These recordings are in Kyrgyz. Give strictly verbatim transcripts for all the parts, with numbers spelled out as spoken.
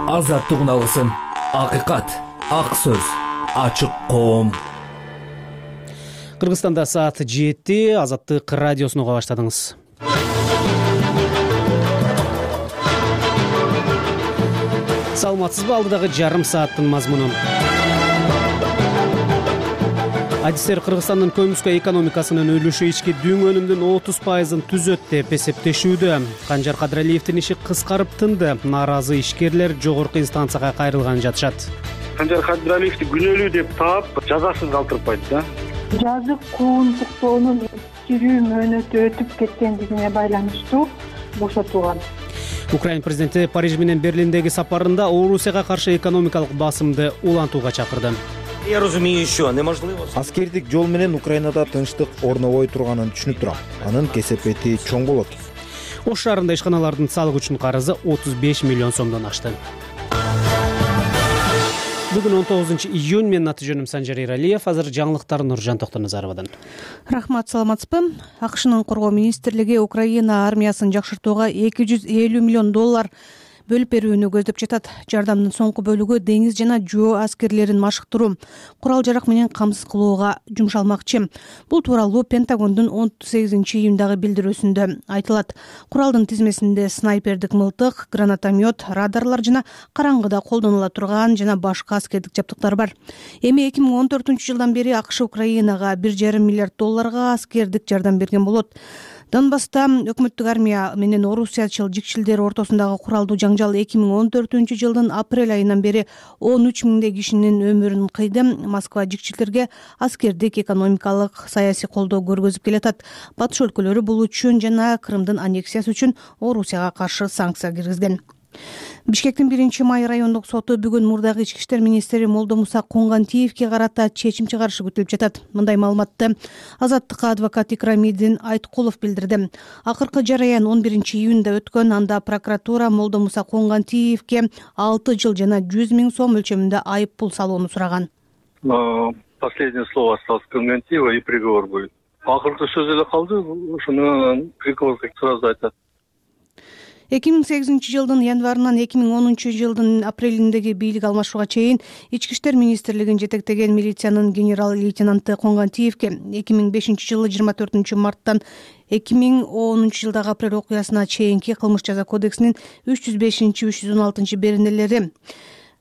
азаттык алгысым, акыйкат, ак сөз, ачык коом. Кыргызстанда саат жети, Азаттык радиосун уга баштадыңыз. Саламатсызбы, алдыдагы жарым сааттын мазмуну. Адистер Кыргызстандын көмүскө экономикасынын үлүшү ички дүң өнүмдүн отуз пайызын түзөт деп эсептешүүдө. Канжар Кадыралиевдин иши кыскарып тынды. Нааразы ишкерлер жогорку инстанцияга кайрылган жатышат. Канжар Кадыралиевди күнөөлүү деп таап, жазасыз калтырбайт да. Жазык куугунтуктоонун тирүү мөөнөтү өтүп кеткендигине байланыштуу бошотулган. Украина президенти Париж менен Берлиндеги сапарында Орусияга каршы экономикалык басымды улантууга чакырды. Я разумею еще, неможливо. Аскердик жол менен Украинада тынчтык орнобой турганын түшүнүп турам. Анын кесепети чоң болот. Ош шаарында ишканалардын салык үчүн карызы отуз беш миллион сомдон ашты. Бүгүн он тогузунчу июнь, менин аты жөнүм Санжар Эралиев. Азыр жаңылыктар Нуржан Токтоназаровадан. Рахмат, саламатсызбы? АКШнын коргоо министрлиги Украина армиясын жакшыртууга эки жүз элүү миллион доллар бөлүп берүүнү көздөп жатат. Жардамдын соңку бөлүгү деңиз жана жөө аскерлерин машыктыруу, курал жарак менен камсыз кылууга жумшалмакчы. Бул тууралуу Пентагондун он сегизинчи июндагы билдирүүсүндө айтылат. Куралдын тизмесинде снайпердик мылтык, гранатомет, радарлар жана караңгыда колдонула турган жана башка аскердик жабдыктар бар. Эми эки миң он төртүнчү жылдан бери АКШ Украинага бир жарым миллиард долларга аскердик жардам берген болот. Донбасста өкмөттүк армия менен орусиячыл жикчилдер ортосундагы куралдуу жаңжал эки миң он төртүнчү жылдын апрель айынан бери он үч миңдей кишинин өмүрүн кыйды. Москва жикчилдерге аскердик, экономикалык, саясий колдоо көргөзүп келатат. Батыш өлкөлөрү бул үчүн жана Крымдын аннексиясы үчүн Орусияга каршы санкция киргизген. Бишкектин биринчи май райондук соту бүгүн мурдагы ички иштер министри Молдомуса Коңгантиевге карата чечим чыгарышы күтүлүп жатат. Мындай маалыматты Азаттыкка адвокат Икрамидин Айткулов билдирди. Акыркы жараян он биринчи июнда өткөн, анда прокуратура Молдомуса Коңгантиевге алты жыл жана жүз миң сом өлчөмүндө айып пул салууну сураган. Последнее слово осталось Коңгантиева и приговор будет. Акыркы сөз эле калды, ошону приговор сразу айтат. эки миң сегизинчи жылдын январынан эки миң онунчу жылдын апрелиндеги бийлик алмашууга чейин ички иштер министрлигин жетектеген милициянын генерал-лейтенанты Коңгантиевге эки миң бешинчи жылы жыйырма төртүнчү марттан эки миң онунчу жылдагы апрель окуясына чейинки кылмыш жаза кодексинин үч жүз бешинчи үч жүз он алтынчы беренелери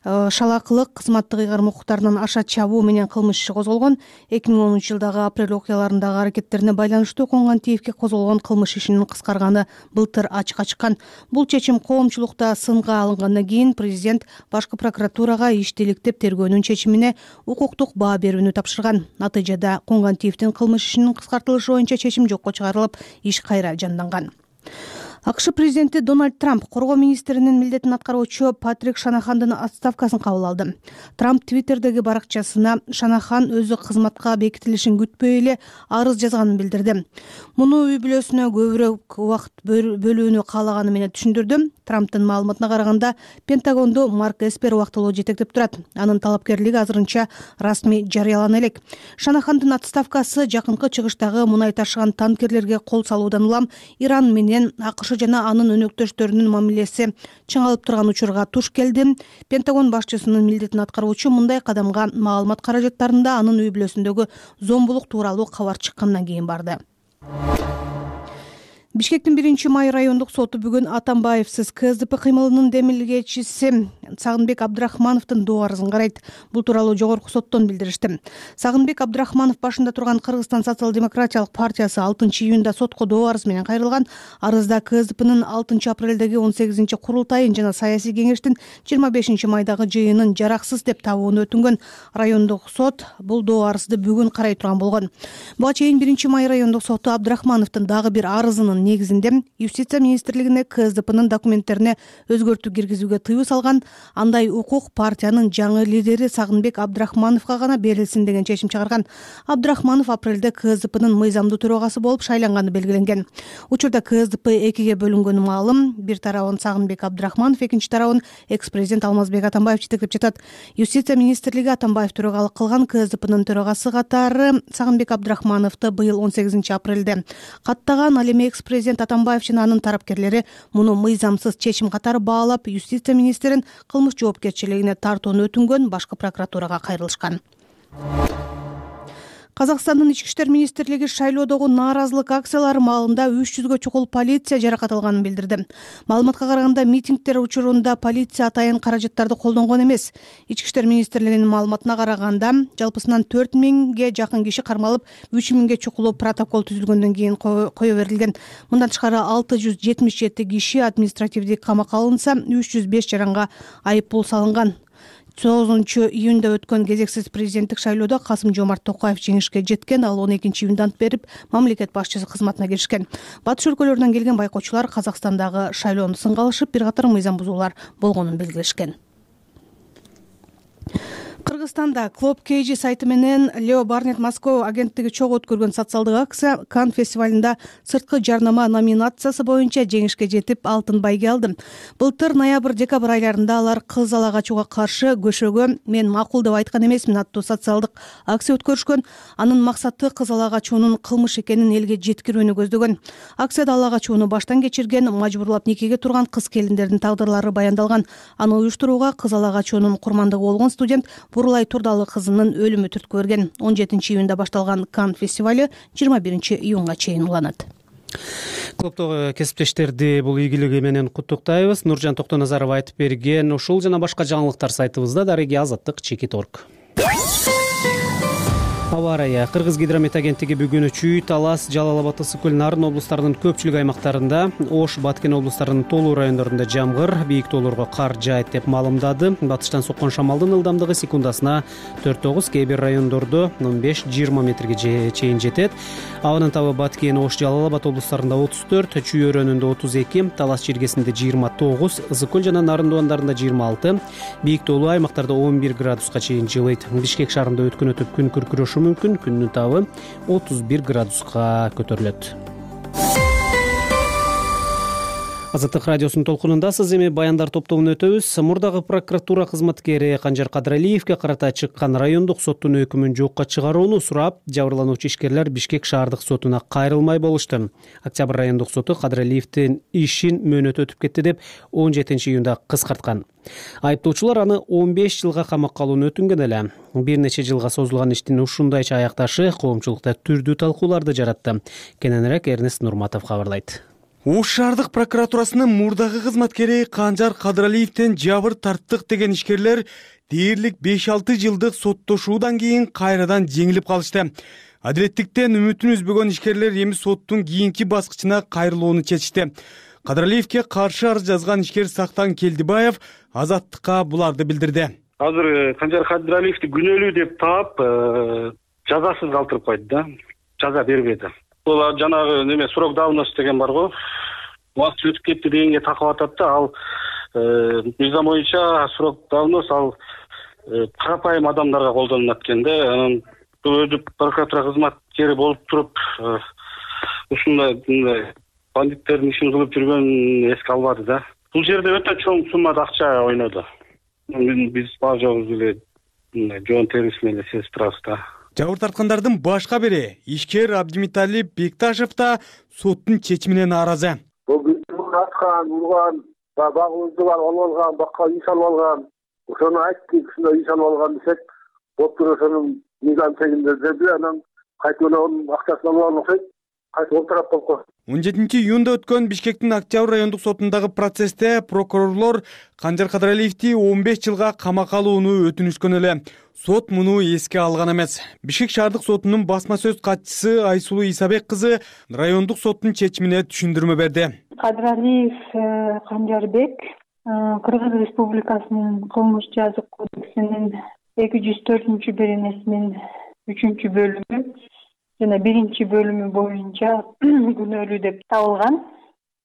шалакылык, кызматтык ыйгарым укуктарынан аша чабуу менен кылмыш иши козголгон. эки миң онунчу жылдагы апрель окуяларындагы аракеттерине байланыштуу Коңгантиевге козголгон кылмыш ишинин кыскарганы былтыр ачыкка чыккан. Бул чечим коомчулукта сынга алынгандан кийин президент башкы прокуратурага ишти иликтеп тергөөнүн чечимине укуктук баа берүүнү тапшырган. Натыйжада Коңгантиевдин кылмыш ишинин кыскартылышы боюнча чечим жокко чыгарылып, иш кайра жанданган. АКШ президенти Дональд Трамп коргоо министринин милдетин аткаруучу Патрик Шанахандын отставкасын кабыл алды. Трамп Твиттердеги баракчасына Шанахан өзү кызматка бекитилишин күтпөй эле арыз жазганын билдирди. Муну үй бүлөсүнө көбүрөөк убакыт бөлүүнү каалаганы менен түшүндүрдү. Трамптын маалыматына караганда, Пентагонду Марк Эспер убактылуу жетектеп турат. Анын талапкерлиги азырынча расмий жарыялана элек. Шанахандын отставкасы жакынкы чыгыштагы мунай ташыган танкерлерге кол салуудан улам Иран менен АКШ жана анын өнөктөштөрүнүн мамилеси чыңалып турган учурга туш келди. Пентагон башчысынын милдетин аткаруучу мындай кадамга маалымат каражаттарында анын үй бүлөсүндөгү зомбулук тууралуу кабар чыккандан кийин барды. Бишкектин биринчи май райондук соту бүгүн Атамбаевсиз КСДП кыймылынын демилгечиси Сагынбек Абдрахмановдун доо арызын карайт. Бул тууралуу жогорку соттон билдиришти. Сагынбек Абдрахманов башында турган Кыргызстан социал-демократиялык партиясы алтынчы июнда сотко доо арыз менен кайрылган. Арызда КСДПнын алтынчы апрелдеги он сегизинчи курултайын жана саясий кеңештин жыйырма бешинчи майдагы жыйынын жараксыз деп табууну өтүнгөн. Райондук сот бул доо арызды бүгүн карай турган болгон. Буга чейин биринчи май райондук соту Абдрахмановдун дагы бир арызынын негизинде Юстиция министрлигине КСДПнын документтерине өзгөртүү киргизүүгө тыюу салган. Андай укук партиянын жаңы лидери Сагынбек Абдрахмановго гана берилсин деген чечим чыгарган. Абдрахманов апрелде КСДПнын мыйзамдуу төрагасы болуп шайланганы белгиленген. Учурда КСДП экиге бөлүнгөнү маалым. Бир тарабын Сагынбек Абдрахманов, экинчи тарабын экс-президент Алмазбек Атамбаев жетектеп жатат. Юстиция министрлиги Атамбаев төрагалык кылган КСДПнын төрагасы катары Сагынбек Абдрахмановду быйыл он сегизинчи апрелде каттаган. Ал эми экс президент Атамбаев жана анын тарапкерлери муну мыйзамсыз чечим катары баалап, юстиция министрин кылмыш жоопкерчилигине тартууну өтүнгөн башкы прокуратурага кайрылышкан. Казакстандын ички иштер министрлиги шайлоодогу нааразылык акциялары маалында үч жүзгө чукул полиция жаракат алганын билдирди. Маалыматка караганда, митингдер учурунда полиция атайын каражаттарды колдонгон эмес. Ички иштер министрлигинин маалыматына караганда, жалпысынан төрт миңге жакын киши кармалып, үч миңге чукулу протокол түзүлгөндөн кийин кое берилген. Мындан тышкары алты жүз жетимиш жети киши административдик камакка алынса, үч жүз беш жаранга айып пул салынган. тогузунчу июнда өткөн кезексиз президенттик шайлоодо Касым-Жомарт Токаев жеңишке жеткен, ал он экинчи июнда ант берип, мамлекет башчысы кызматына киришкен. Батыш өлкөлөрүнөн келген байкоочулар Казакстандагы шайлоону сынга алышып, бир катар мыйзам бузуулар болгонун белгилешкен. Кыргызстанда Club кей джи сайты менен Leo Burnett Moscow агенттиги чогуу өткөргөн социалдык акция Канн фестивалында сырткы жарнама номинациясы боюнча жеңишке жетип, алтын байге алды. Былтыр ноябрь-декабрь айларында алар кыз ала качууга каршы көшөгө "Мен макул деп айткан эмесмин" аттуу социалдык акция өткөрүшкөн. Анын максаты кыз ала качуунун кылмыш экенин элге жеткирүүнү көздөгөн. Акцияда ала качууну баштан кечирген, мажбурлап никеге турган кыз келиндердин тагдырлары баяндалган. Аны уюштурууга кыз ала качуунун курмандыгы болгон студент Бурулай Турдалы кызынын өлүмү түрткү берген. он жетинчи июнда башталган Канн фестивали жыйырма биринчи июнга чейин уланат. Клубдогу кесиптештерди бул ийгилиги менен куттуктайбыз. Нуржан Токтоназаров айтып берген ушул жана башка жаңылыктар сайтыбызда. Дареги Азаттык чекит орг. Аба ырайы. Кыргыз гидромет агенттиги бүгүн Чүй, Талас, Жалал Абад, Ысык көл, Нарын облустарынын көпчүлүк аймактарында, Ош, Баткен облустарынын толуу райондорунда жамгыр, бийик тоолорго кар жаайт деп маалымдады. Батыштан соккон шамалдын ылдамдыгы секундасына төрт тогуз, кээ бир райондордо он беш жыйырма метрге чейин жетет. Абанын табы Баткен, Ош, Жалал Абад облустарында отуз төрт, Чүй өрөөнүндө отуз эки, Талас чиркесинде жыйырма тогуз, Ысык көл жана Нарын дубандарында жыйырма алты, бийик тоолуу аймактарда он бир градуска чейин жылыйт. Бишкек шаарында өткөн өтүп күн күркүрөшү мүмкүн, күндүн табы отуз бир градуска көтөрүлөт. Азаттык радиосунун толкунундасыз. Эми баяндар топтомун өтөбүз. Мурдагы прокуратура кызматкери Канжар Кадралиевге карата чыккан райондук соттун өкүмүн жокко чыгарууну сурап, жабырлануучу ишкерлер Бишкек шаардык сотуна кайрылмай болушту. Октябрь райондук соту Кадралиевдин ишин мөөнөтү өтүп кетти деп он жетинчи июнда кыскарткан. Айыптоочулар аны он беш жылга камакка алууну өтүнгөн эле. Бир нече жылга созулган иштин ушундайча аякташы коомчулукта түрдүү талкууларды жаратты. Кененирээк Эрнест Нурматов кабарлайт. Ош шаардык прокуратурасынын мурдагы кызматкери Канжар Кадралиевден жабыр тарттык деген ишкерлер дээрлик беш алты жылдык соттошуудан кийин кайрадан жеңилип калышты. Адилеттиктен үмүтүн үзбөгөн ишкерлер эми соттун кийинки баскычына кайрылууну чечишти. Кадралиевге каршы арыз жазган ишкер Сактан Келдибаев Азаттыкка буларды билдирди. Азыр Канжар Кадралиевди күнөөлүү деп таап, жазасыз калтырып койду да. Жаза бербеди. Бул жанагы неме срок давности деген бар го. Убакыт өтүп кетти дегенге такып атат да, ал мыйзам боюнча срок давность ал карапайым адамдарга колдонулат экен да. Анан өзү прокуратура кызматкери болуп туруп, ушундай бандиттердин ишин кылып жүргөн эске албады да. Бул жерде өтө чоң суммада акча ойноду. Биз баа жогубуз эле жоон терисин эле сезип турабыз да. Жабыр тарткандардын башка бири ишкер Абдимиталип Бекташев да соттун чечимине нааразы. Бул биздин аткан, урган, багыбызды бар алган, бакка үй салып алган. Ошону айттык, ушундай үй салып алган десек, боттур ошонун мыйзам чегинде деди, анан кайтып онун акчасын алып алган окшойт. Кайтып олтурап койгон. он жетинчи июнда өткөн Бишкектин Октябрь райондук сотундагы процессте прокурорлор Канжар Кадралиевди он беш жылга камакка алууну өтүнүшкөн эле. Сот муну эске алган эмес. Бишкек шаардык сотунун басма сөз катчысы Айсулуу Исабек кызы райондук соттун чечимине түшүндүрмө берди. Кадралиев Канжарбек Кыргыз Республикасынын кылмыш жазык кодексинин эки жүз төртүнчү беренесинин үчүнчү бөлүмү жана биринчи бөлүмү боюнча күнөөлүү деп табылган.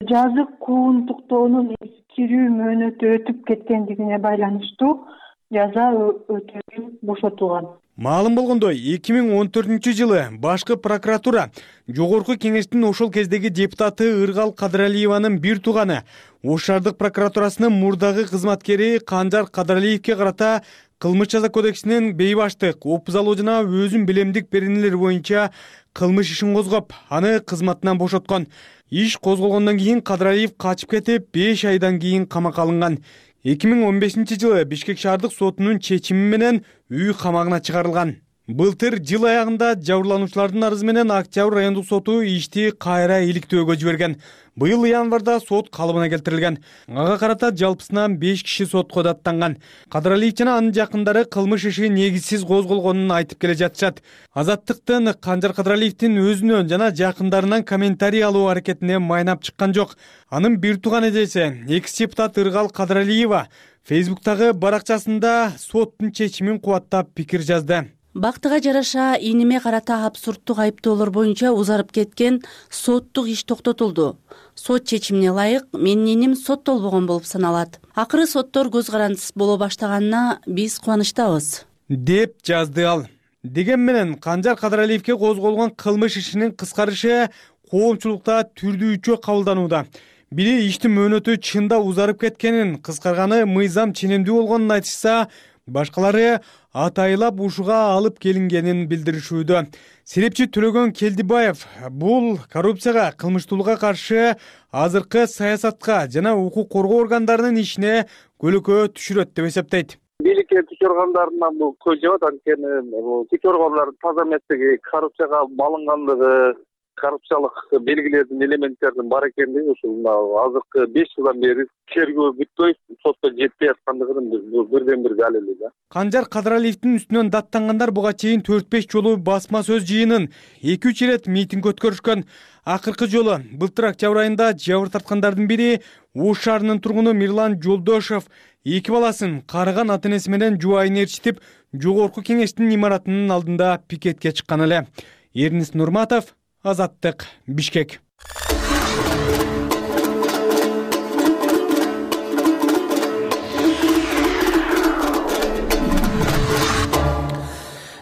Жазык кууntуктоонун эскирүү мөөнөтү өтүп кеткендигине байланыштуу жаза өтөөдөн бошотулган. Маалым болгондой, эки миң он төртүнчү жылы башкы прокуратура жогорку кеңештин ошол кездеги депутаты Ыргал Кадралиеванын бир тууганы Ош шаардык прокуратурасынын мурдагы кызматкери Канжар Кадралиевке карата кылмыш жаза кодексинин бейбаштык, опузалоо жана өзүн билемдик беренелери боюнча кылмыш ишин козгоп, аны кызматынан бошоткон. Иш козголгондон кийин Кадралиев качып кетип, беш айдан кийин камакка алынган. эки миң он бешинчи жылы Бишкек шаардык сотунун чечими менен үй камагына чыгарылган. Былтыр жыл аягында жабырлануучулардын арызы менен Октябрь райондук соту ишти кайра иликтөөгө жиберген. Быйыл январда сот калыбына келтирилген. Ага карата жалпысынан беш киши сотко даттанган. Кадралиев жана анын жакындары кылмыш иши негизсиз козголгонун айтып келе жатышат. Азаттыктын Канжар Кадралиевдин өзүнөн жана жакындарынан комментарий алуу аракетине майнап чыккан жок. Анын бир тууган эжеси, экс-депутат Ыргал Кадралиева Фейсбуктагы баракчасында соттун чечимин кубаттап пикир жазды. Бактыга жараша иниме карата абсурдтук айыптоолор боюнча узарып кеткен соттук иш токтотулду. Сот чечимине ылайык менин иним соттолбогон болуп саналат. Акыры соттор көз карандысыз боло баштаганына биз кубанычтабыз, деп жазды ал. Деген менен Канжар Кадралиевке козголгон кылмыш ишинин кыскарышы коомчулукта түрдүүчө кабылданууда. Бири иштин мөөнөтү чында узарып кеткенин, кыскарганы мыйзам ченемдүү болгонун айтышса, башкалары атайлап ушуга алып келингенин билдиришүүдө. Серепчи Төлөгөн Келдибаев бул коррупцияга, кылмыштуулукка каршы азыркы саясатка жана укук коргоо органдарынын ишине көлөкө түшүрөт деп эсептейт. Бийликке күч органдарынан бул көз жабат, анткени күч органдары таза эместиги, коррупцияга малынгандыгы, коррупциялык белгилердин, элементтердин бар экендиги ушул азыркы беш жылдан бери тергөө бүтпөй, сотко жетпей аткандыгын биз бирден бир далили да. Канжар Кадралиевдин үстүнөн даттангандар буга чейин төрт беш жолу басма сөз жыйынын, эки үч ирет митинг өткөрүшкөн. Акыркы жолу былтыр октябрь айында жабыр тарткандардын бири Ош шаарынын тургуну Мирлан Жолдошов эки баласын карыган ата-энеси менен жубайын ээрчитип, жогорку кеңештин имаратынын алдында пикетке чыккан эле. Эрнис Нурматов, Азаттык, Бишкек.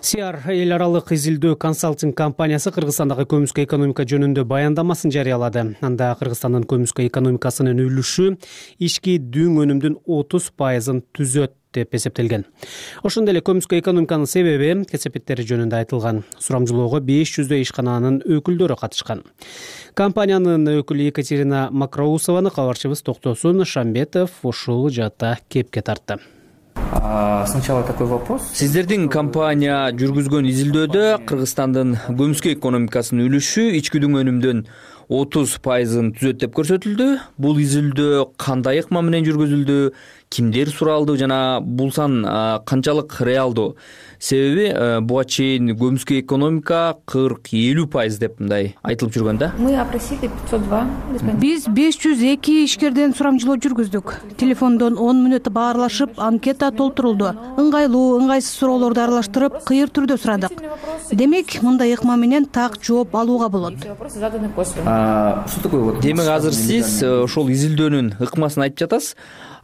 Сиар эл аралык изилдөө консалтинг компаниясы Кыргызстандагы көмүскө экономика жөнүндө баяндамасын жарыялады. Анда Кыргызстандын көмүскө экономикасынын үлүшү ички дүң өнүмдүн отуз пайызын түзөт деп эсептелген. Ошондой эле көмүскө экономиканын себеби, кесепеттери жөнүндө айтылган. Сурамжылоого беш жүздөй ишкананын өкүлдөрү катышкан. Компаниянын өкүлү Екатерина Макроусованы кабарчыбыз Токтосун Шамбетов ушул жаатта кепке тартты. Сначала такой вопрос. Сиздердин компания жүргүзгөн изилдөөдө Кыргызстандын көмүскө экономикасынын үлүшү ички дүң өнүмдүн отуз пайызын түзөт деп көрсөтүлдү. Бул изилдөө кандай ыкма менен жүргүзүлдү, кимдер суралды жана бул сан канчалык реалдуу? Себеби буга чейин көмүскө экономика кырк элүү пайыз деп мындай айтылып жүргөн да. Мы опросили пятьсот два. Биз беш жүз эки ишкерден сурамжылоо жүргүздүк. Телефондон он мүнөт баарлашып, анкета толтурулду. Ыңгайлуу, ыңгайсыз суроолорду аралаштырып, кыйыр түрдө сурадык. Демек, мындай ыкма менен так жооп алууга болот. Демек, азыр сиз ошол изилдөөнүн ыкмасын айтып жатасыз.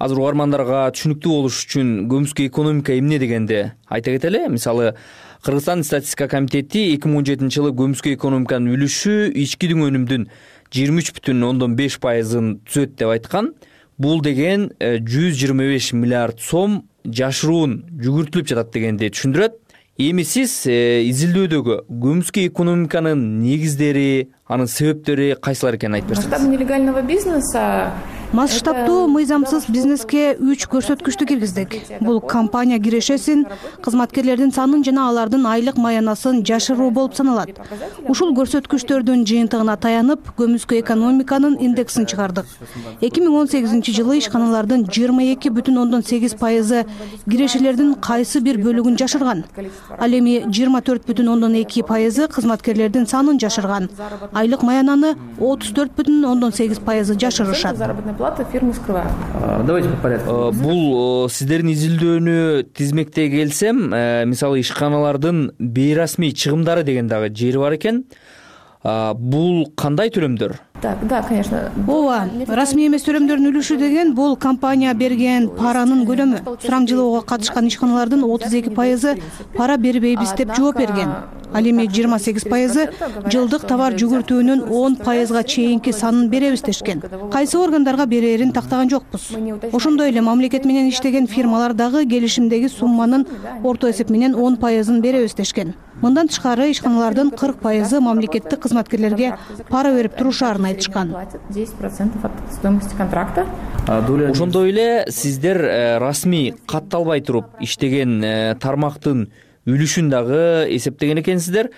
Азыр угармандарга түшүнүктүү болуш үчүн көмүскө экономика эмне дегенди айта кетели. Мисалы, Кыргызстан статистика комитети эки миң он жетинчи жылы көмүскө экономиканын үлүшү ички дүң өнүмдүн жыйырма үч бүтүн ондон беш пайызын түзөт деп айткан. Бул деген жүз жыйырма беш миллиард сом жашыруун жүгүртүлүп жатат дегенди түшүндүрөт. Эми сиз изилдөөдөгү көмүскө экономиканын негиздери, анын себептери кайсылар экенин айтып берсеңиз. Масштаб нелегального бизнеса Масштабтуу мыйзамсыз бизнеске үч көрсөткүчтү киргиздик. Бул компания кирешесин, кызматкерлердин санын жана алардын айлык маянасын жашыруу болуп саналат. Ушул көрсөткүчтөрдүн жыйынтыгына таянып, көмүскө экономиканын индексин чыгардык. эки миң он сегизинчи жылы ишканалардын жыйырма эки бүтүн ондон сегиз пайызы кирешелердин кайсы бир бөлүгүн жашырган. Ал эми жыйырма төрт бүтүн ондон эки пайызы кызматкерлердин санын жашырган. Айлык маянаны отуз төрт бүтүн ондон сегиз пайызы жашырышат. Фирмы скрывают. Давайте по порядку. Бул сиздердин изилдөөнү тизмектей келсем, мисалы ишканалардын бейрасмий чыгымдары деген дагы жери бар экен. Бул кандай төлөмдөр? Так, да, конечно. ооба, расмий эмес төлөмдөрдүн үлүшү деген бул компания берген паранын көлөмү. Сураңчылоого катышкан ишканалардын отуз эки пайызы пара бербейбиз деп жооп берген. Ал эми жыйырма сегиз пайызы жылдык товар жүгүртүүнүн он пайызга чейинки санын беребиз дешкен. Кайсы органдарга берерин тактаган жокпуз. Ошондой эле мамлекет менен иштеген фирмалар дагы келишимдеги сумманын орто эсеп менен он пайызын беребиз дешкен. Мындан тышкары ишканалардын кырк пайызы мамлекеттик кызматкерлерге пара берип турушаарын айтышкан. десять процентов от стоимости контракта. Ошондой эле сиздер расмий катталбай туруп иштеген тармактын үлүшүн дагы эсептеген экенсиздер.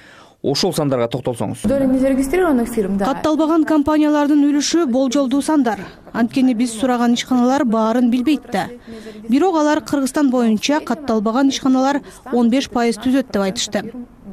Ошол сандарга токтолсоңуз. Доля незарегистрированных фирм, да. Катталбаган компаниялардын үлүшү болжолдуу сандар. Анткени биз сураган ишканалар баарын билбейт да. Бирок алар Кыргызстан боюнча катталбаган ишканалар он беш пайыз түзөт деп айтышты.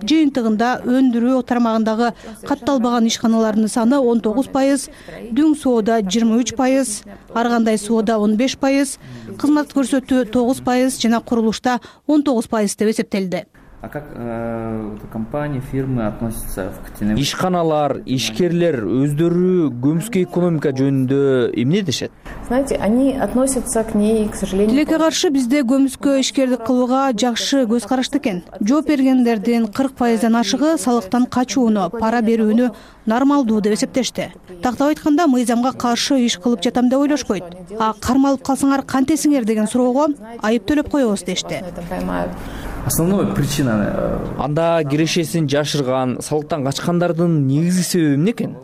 Жыйынтыгында өндүрүү тармагындагы катталбаган ишканалардын саны он тогуз пайыз, дүң соода жыйырма үч пайыз, ар кандай соода он беш пайыз, кызмат көрсөтүү тогуз пайыз жана курулушта он тогуз пайыз деп эсептелди. А как э, компании, фирмы относятся к теневым? Ишканалар, ишкерлер өздөрү көмүскө экономика жөнүндө эмне дешет? Знаете, они относятся к ней, к сожалению. Тилекке каршы бизде көмүскө ишкердик кылууга жакшы көз карашты экен. Жооп бергендердин кырк пайыздан ашыгы салыктан качууну, пара берүүнү нормалдуу деп эсептешти. Тактап айтканда, мыйзамга каршы иш кылып жатам деп ойлошпойт. А кармалып калсаңар кантесиңер деген суроого айып төлөп коебуз дешти. Основная причина. Анда кирешесин жашырган, салыктан качкандардын негизги себеби эмне экен?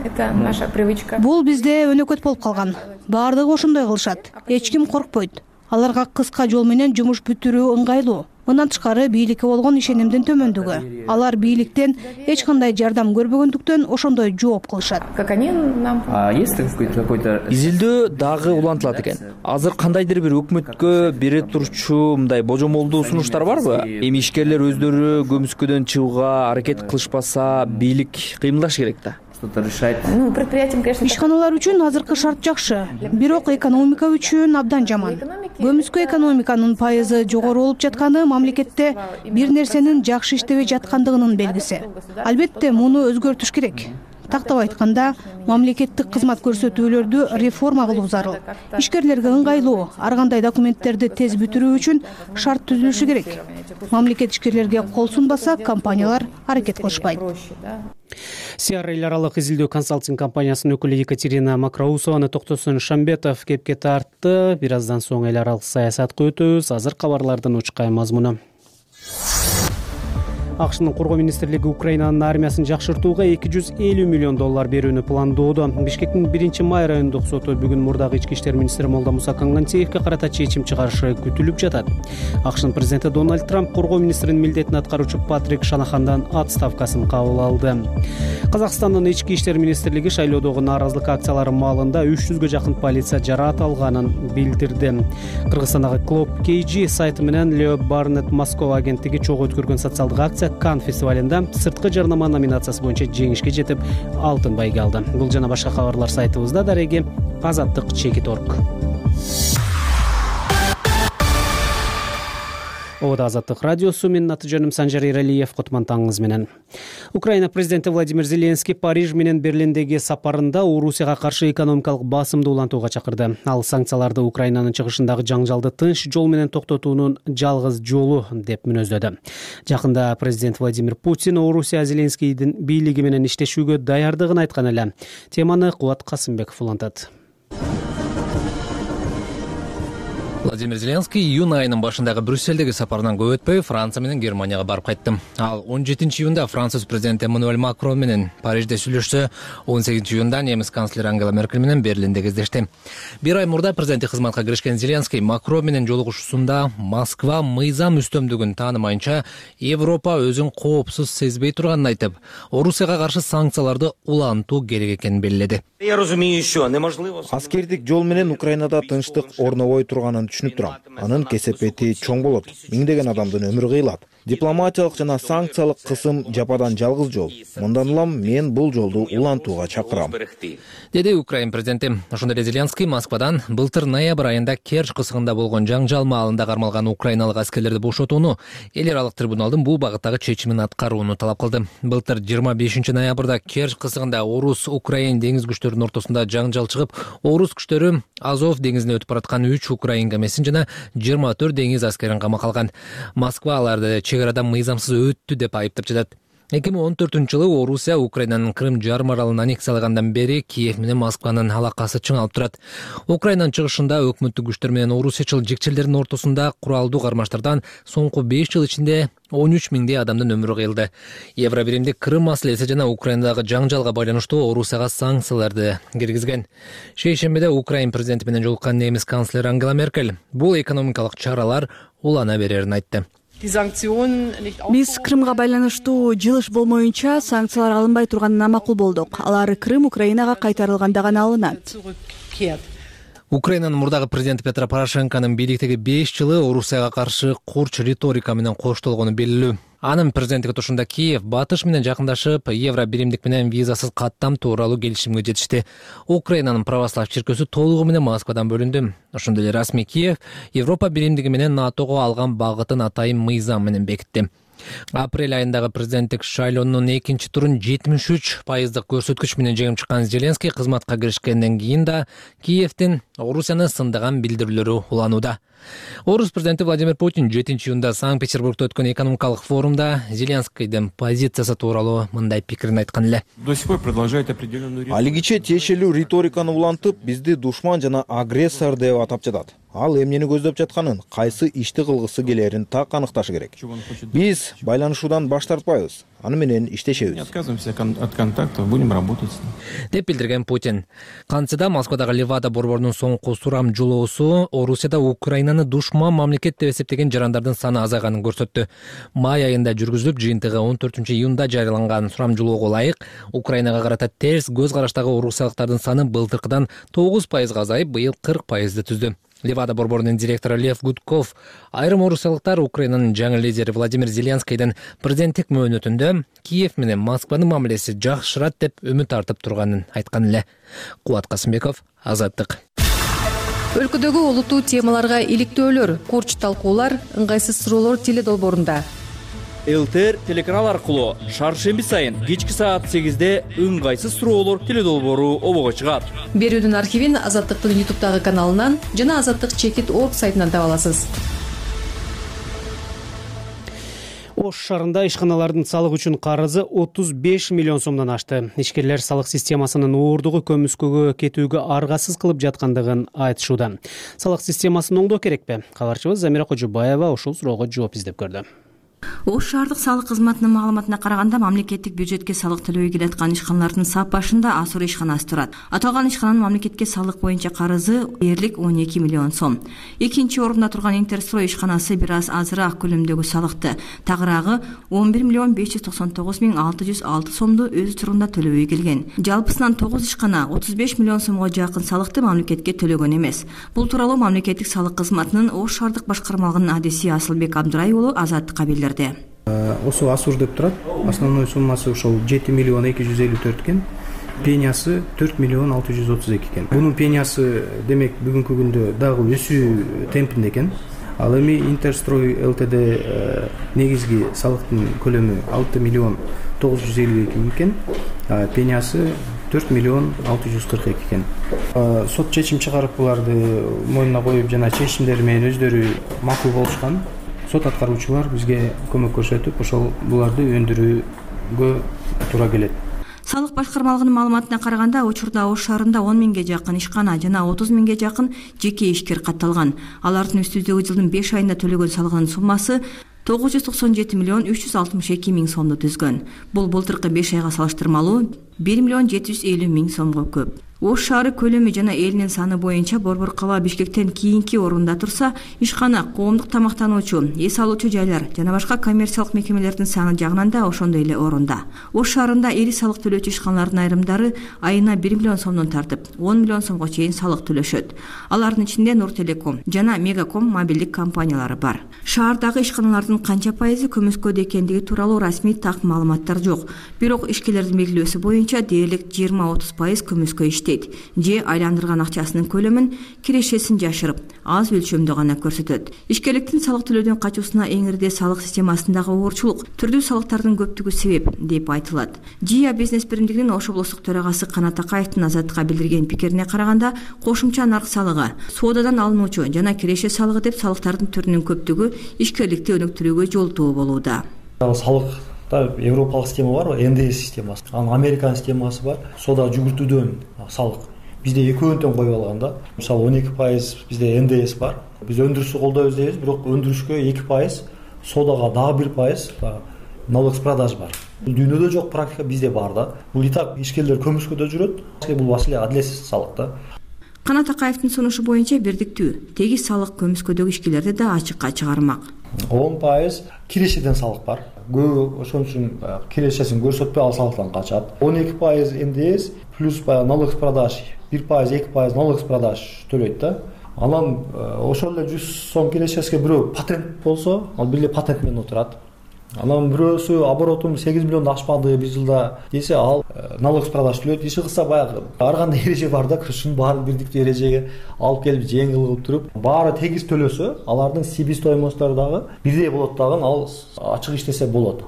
Это наша привычка. Бул бизде өнөкөт болуп калган. Баардыгы ошондой кылышат. Эч ким коркпойт. Аларга кыска жол менен жумуш бүтүрүү ыңгайлуу. Мындан тышкары бийликке болгон ишенимдин төмөндүгү. Алар бийликтен эч кандай жардам көрбөгөндүктөн ошондой жооп кылышат. Как они нам... А есть какой-то... Изилдөө дагы улантылат экен. Азыр кандайдыр бир өкмөткө бере турчу мындай божомолдуу сунуштар барбы? Эми ишкерлер өздөрү көмүскөдөн чыгууга аракет кылышпаса, бийлик кыймылдаш керек да. Ну, предприятиям, конечно... Ишканалар үчүн азыркы шарт жакшы, бирок экономика үчүн абдан жаман. Көмүскө экономиканын пайызы жогору болуп жатканы мамлекетте бир нерсенин жакшы иштебей жаткандыгынын белгиси. Албетте, муну өзгөртүш керек. Тактап айтканда, мамлекеттик кызмат көрсөтүүлөрдү реформа кылуу зарыл. Ишкерлерге ыңгайлуу, ар кандай документтерди тез бүтүрүү үчүн шарт түзүлүшү керек. Мамлекет ишкерлерге кол сунбаса, компаниялар аракет кылышпайт. Сиара эл аралык изилдөө консалтинг компаниясынын өкүлү Екатерина Макроусованы Токтосун Шамбетов кепке тартты. Бир аздан соң эл аралык саясатка өтөбүз. Азыр кабарлардын учкай мазмуну. АКШнын коргоо министрлиги Украинанын армиясын жакшыртууга эки жүз элүү миллион доллар берүүнү пландоодо. Бишкектин биринчи май райондук соту бүгүн мурдагы ички иштер министри Молдомуса Кангантеевке карата чечим чыгарышы күтүлүп жатат. АКШнын президенти Дональд Трамп коргоо министринин милдетин аткаруучу Патрик Шанахандан отставкасын кабыл алды. Казакстандын ички иштер министрлиги шайлоодогу нааразылык акциялары маалында үч жүзгө жакын полиция жараат алганын билдирди. Кыргызстандагы Клоп кей джи сайты менен Лео Барнет Москва агенттиги чогуу өткөргөн социалдык акция Кан фестивалында сырткы жарнама номинациясы боюнча жеңишке жетип, алтын байге алды. Бул жана башка кабарлар сайтыбызда. Дареги азаттык чекит точка орг. Ода азаттык радиосу, менин аты жөнүм Санжар Иралиев, котмантаңыз менен. Украина президенти Владимир Зеленский Париж менен Берлиндеги сапарында Орусияга каршы экономикалык басымды улантууга чакырды. Ал санкцияларды Украинанын чыгышындагы жаңжалды тынч жол менен токтотуунун жалгыз жолу деп мүнөздөдү. Жакында президент Владимир Путин Орусия Зеленскийдин бийлиги менен иштешүүгө даярдыгын айткан эле. Теманы Кубат Касымбеков улантат. Владимир Зеленский июнь айынын башындагы Брюссельдеги сапарынан көп өтпөй Франция менен Германияга барып кайтты. Ал он жетинчи июнда Француз президенти Эммануэль Макрон менен Парижде сүйлөшсө, он сегизинчи июнда немис канцлери Ангела Меркель менен Берлинде кездешти. Бир ай мурда президенттик кызматка киришкен Зеленский Макрон менен жолугушуусунда Москва мыйзам үстөмдүгүн таанымайынча Европа өзүн коопсуз сезбей турганын айтып, Орусияга каршы санкцияларды улантуу керек экенин белгиледи. Я разумею, що неможливо. Аскердик жол менен Украинада тынчтык орнобой турганын түшүнүп турам. Анын кесепети чоң болот. Миңдеген адамдын өмүрү кыйылат. Дипломатиялык жана санкциялык кысым жападан жалгыз жол. Мындан улам мен бул жолду улантууга чакырам, деди Украин президенти. Ошондой эле Зеленский Москвадан былтыр ноябрь айында Керчь кысыгында болгон жаңжал маалында кармалган украиналык аскерлерди бошотууну, эл аралык трибуналдын бул багыттагы чечимин аткарууну талап кылды. Былтыр жыйырма бешинчи ноябрда Керчь кысыгында орус Украин деңиз күчтөрүнүн ортосунда жаңжал чыгып, орус күчтөрү Азов деңизине өтүп бараткан үч украин кемесин жана жыйырма төрт деңиз аскерин камакка алган. Москва аларды чек арадан мыйзамсыз өттү деп айыптап жатат. эки миң он төртүнчү жылы Орусия Украинанын Крым жарым аралын аннексиялагандан бери Киев менен Москванын алакасы чыңалып турат. Украинанын чыгышында өкмөттүк күчтөр менен орусиячыл жекчелердин ортосунда куралдуу кармаштардан соңку беш жыл ичинде он үч миңдей адамдын өмүрү кыйылды. Евробиримдик Крым маселеси жана Украинадагы жаңжалга байланыштуу Орусияга санкцияларды киргизген. Шейшембиде Украин президенти менен жолуккан немис канцлери Ангела Меркель бул экономикалык чаралар улана берерин айтты. Биз Крымга байланыштуу жылыш болмоюнча санкциялар алынбай турганына макул болдук. Алар Крым Украинага кайтарылганда гана алынат. Украинанын мурдагы президенти Петро Порошенконун бийликтеги беш жылы Орусияга каршы курч риторика менен коштолгону белгилүү. Анын президенттик отурушунда Киев Батыш менен жакындашып, Евробиримдик менен визасыз каттам тууралуу келишимге жетишти. Украинанын православ чиркөөсү толугу менен Москвадан бөлүндү. Ошондой эле расмий Киев Европа биримдиги менен НАТОго алган багытын атайын мыйзам менен бекитти. Апрель айындагы президенттик шайлоонун экинчи турун жетимиш үч пайыздык көрсөткүч менен жеңип чыккан Зеленский кызматка киришкенден кийин да Киевдин Орусияны сындаган билдирүүлөрү уланууда. Орус президенти Владимир Путин жетинчи июнда Санкт-Петербургда өткөн экономикалык форумда Зеленскийдин позициясы тууралуу мындай пикирин айткан эле. Алигиче тиешелүү риториканы улантып, бизди душман жана агрессор деп атап жатат. Ал эмнени көздөп жатканын, кайсы ишти кылгысы келерин так аныкташы керек. Биз байланышуудан баш тартпайбыз. Аны менен иштешебиз. Деп билдирген Путин. Кантсе Москвадагы Левада борборунун соңку сурам жолоосу Орусияда Украинаны душман мамлекет деп эсептеген жарандардын саны азайганын көрсөттү. Май айында жүргүзүлүп, жыйынтыгы он төртүнчү июнда жарыяланган сурам жолоого ылайык Украинага карата терс көз караштагы орусиялыктардын саны былтыркыдан тогуз пайызга азайып, быйыл кырк пайызды түздү. Левада борборунун директору Лев Гудков айрым орусиялыктар Украинанын жаңы лидери Владимир Зеленскийдин президенттик мөөнөтүндө Киев менен Москванын мамилеси жакшырат деп үмүт артып турганын айткан эле. Кубат Касымбеков, Азаттык. Өлкөдөгү олуттуу темаларга иликтөөлөр, курч талкуулар, ыңгайсыз суроолор теле долбоорунда. ЛТР телеканал аркылуу шаршемби сайын кечки саат сегизде ыңгайсыз суроолор теле долбоору обого чыгат. Берүүдүн архивин Азаттыктын ютубтагы каналынан жана Азаттык чекит орг сайтынан таба аласыз. Ош шаарында ишканалардын салык үчүн карызы отуз беш миллион сомдон ашты. Ишкерлер салык системасынын уурдугу көмүскөгө кетүүгө аргасыз кылып жаткандыгын айтышууда. Салык системасын оңдоо керекпи? Кабарчыбыз Замира Кожубаева ушул суроого жооп издеп көрдү. Ош шаардык салык кызматынын маалыматына караганда, мамлекеттик бюджетке салык төлөбөй келаткан ишканалардын сап башында Асур ишканасы турат. Аталган ишкананын мамлекетке салык боюнча карызы дээрлик он эки миллион сом. Экинчи орунда турган Интерстрой ишканасы бир аз азыраак көлөмдөгү салыкты, тагыраагы он бир миллион беш жүз токсон тогуз миң алты жүз алты сомду өз турунда төлөбөй келген. Жалпысынан тогуз ишкана отуз беш миллион сомго жакын салыкты мамлекетке төлөгөн эмес. Бул тууралуу мамлекеттик салык кызматынын Ош шаардык башкармалыгынын адиси Асылбек Абдырай уулу Азаттыкка билдирди. Осу Асур деп турат. Основной суммасы ошол жети миллион эки жүз элүү төрт экен. Пенясы төрт миллион алты жүз отуз эки экен. Бунун пенясы демек бүгүнкү күндө дагы өсүү темпинде экен. Ал эми Интерстрой ЛТД негизги салыктын көлөмү алты миллион тогуз жүз элүү эки миң экен. Пенясы төрт миллион алты жүз кырк эки экен. Сот чечим чыгарып буларды мойнуна коюп жана чечимдери менен өздөрү макул болушкан. Сот аткаруучулар бизге көмөк көрсөтүп, ошол буларды өндүрүүгө туура келет. Салык башкармалыгынын маалыматына караганда, учурда Ош шаарында он миңге жакын ишкана жана отуз миңге жакын жеке ишкер катталган. Алардын үстүздөгү жылдын беш айында төлөгөн салыгынын суммасы тогуз жүз токсон жети миллион үч жүз алтымыш эки миң сомду түзгөн. Бул былтыркы беш айга салыштырмалуу бир миллион жети жүз элүү миң сомго көп. Ош шаары көлөмү жана элинин саны боюнча Борбор калаа Бишкектен кийинки орунда турса, ишкана, коомдук тамактануучу, эс алуучу жайлар жана башка коммерциялык мекемелердин саны жагынан да ошондой эле орунда. Ош шаарында ири салык төлөөчү ишканалардын айрымдары айына бир миллион сомдон тартып, он миллион сомго чейин салык төлөшөт. Алардын ичинде Нуртелеком жана Мегаком мобилдик компаниялары бар. Шаардагы ишканалардын канча пайызы көмүскөдө экендиги тууралуу расмий так маалыматтар жок. Бирок ишкерлердин белгилөөсү боюнча дээрлик жыйырма отуз пайыз көмүскө иштейт же айландырган акчасынын көлөмүн, кирешесин жашырып, аз өлчөмдө гана көрсөтөт. Ишкерликтин салык төлөөдөн качуусуна эң ирде салык системасындагы оорчулук, түрдүү салыктардын көптүгү себеп деп айтылат. ЖИА бизнес биримдигинин Ош облустук төрагасы Канат Акаевдин Азаттыкка билдирген пикирине караганда, кошумча нарк салыгы, соодадан алынуучу жана киреше салыгы деп салыктардын түрүнүн көптүгү ишкерликти өнүктүрүүгө жолтоо болууда. Салыкта европалык система бар, эн дэ эс системасы. Анын Американ системасы бар. Соода жүгүртүүдөн салык. Бизде экөөнтөн коюп алган да. Мисалы он эки пайыз бизде эн дэ эс бар. Биз өндүрүштү колдойбуз дейбиз, бирок өндүрүшкө эки пайыз, соодага дагы бир пайыз налог с продаж бар. Дүйнөдө жок практика, бизде бар да. Бул и так ишкерлер көмүскөдө жүрөт. Бул маселе адилетсиз салык да. Канат Акаевдин сунушу боюнча бирдиктүү, тегиз салык көмүскөдөгү ишкерлерди да ачыкка чыгармак. он пайыз кирешеден салык бар. Көбү ошон үчүн кирешесин көрсөтпөй ал салыктан качат. он эки пайыз эн дэ эс плюс налог с продаж, бир пайыз, эки пайыз налог с продаж төлөйт да. Анан ошол эле жүз сом кирешесине бирөө патент болсо, ал бир эле патент менен отурат. Анан бирөөсү оборотум сегиз миллионду ашпады бир жылда десе, ал налог с продаж төлөйт. Иши кылса баягы ар кандай эреже бар да, ушунун баарын бирдиктүү эрежеге алып келип жеңил кылып туруп, баары тегиз төлөсө, алардын себестоимосттору дагы бирдей болот дагы, ал ачык иштесе болот.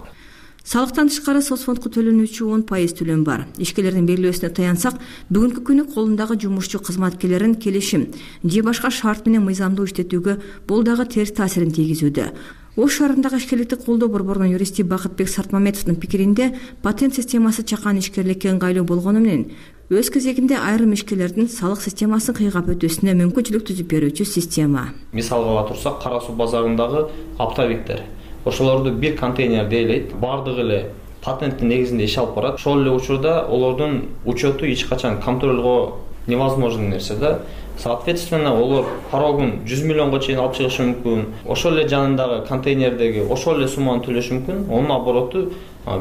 Салыктан тышкары соцфондко төлөнүүчү он пайыз төлөм бар. Ишкерлердин белгилөөсүнө таянсак, бүгүнкү күнү колундагы жумушчу кызматкерлерин келишим же башка шарт менен мыйзамдуу иштетүүгө бул дагы терс таасирин тийгизүүдө. Ош шаарындагы ишкерликти колдоо борборунун юристи Бакытбек Сартмамедовдун пикиринде, патент системасы чакан ишкерликке ыңгайлуу болгону менен өз кезегинде айрым ишкерлердин салык системасын кыйгап өтүүсүнө мүмкүнчүлүк түзүп берүүчү система. Мисалга ала турсак, Кара суу базарындагы оптовиктер, ошолорду бир контейнер дейлейт, бардыгы эле патенттин негизинде иш алып барат. Ошол эле учурда олордун учету эч качан контролго невозможный нерсе да. Соответственно, олар порогун жүз миллионго чейин алып чыгышы мүмкүн. Ошол эле жанындагы контейнердеги ошол эле сумманы төлөшү мүмкүн. Онун обороту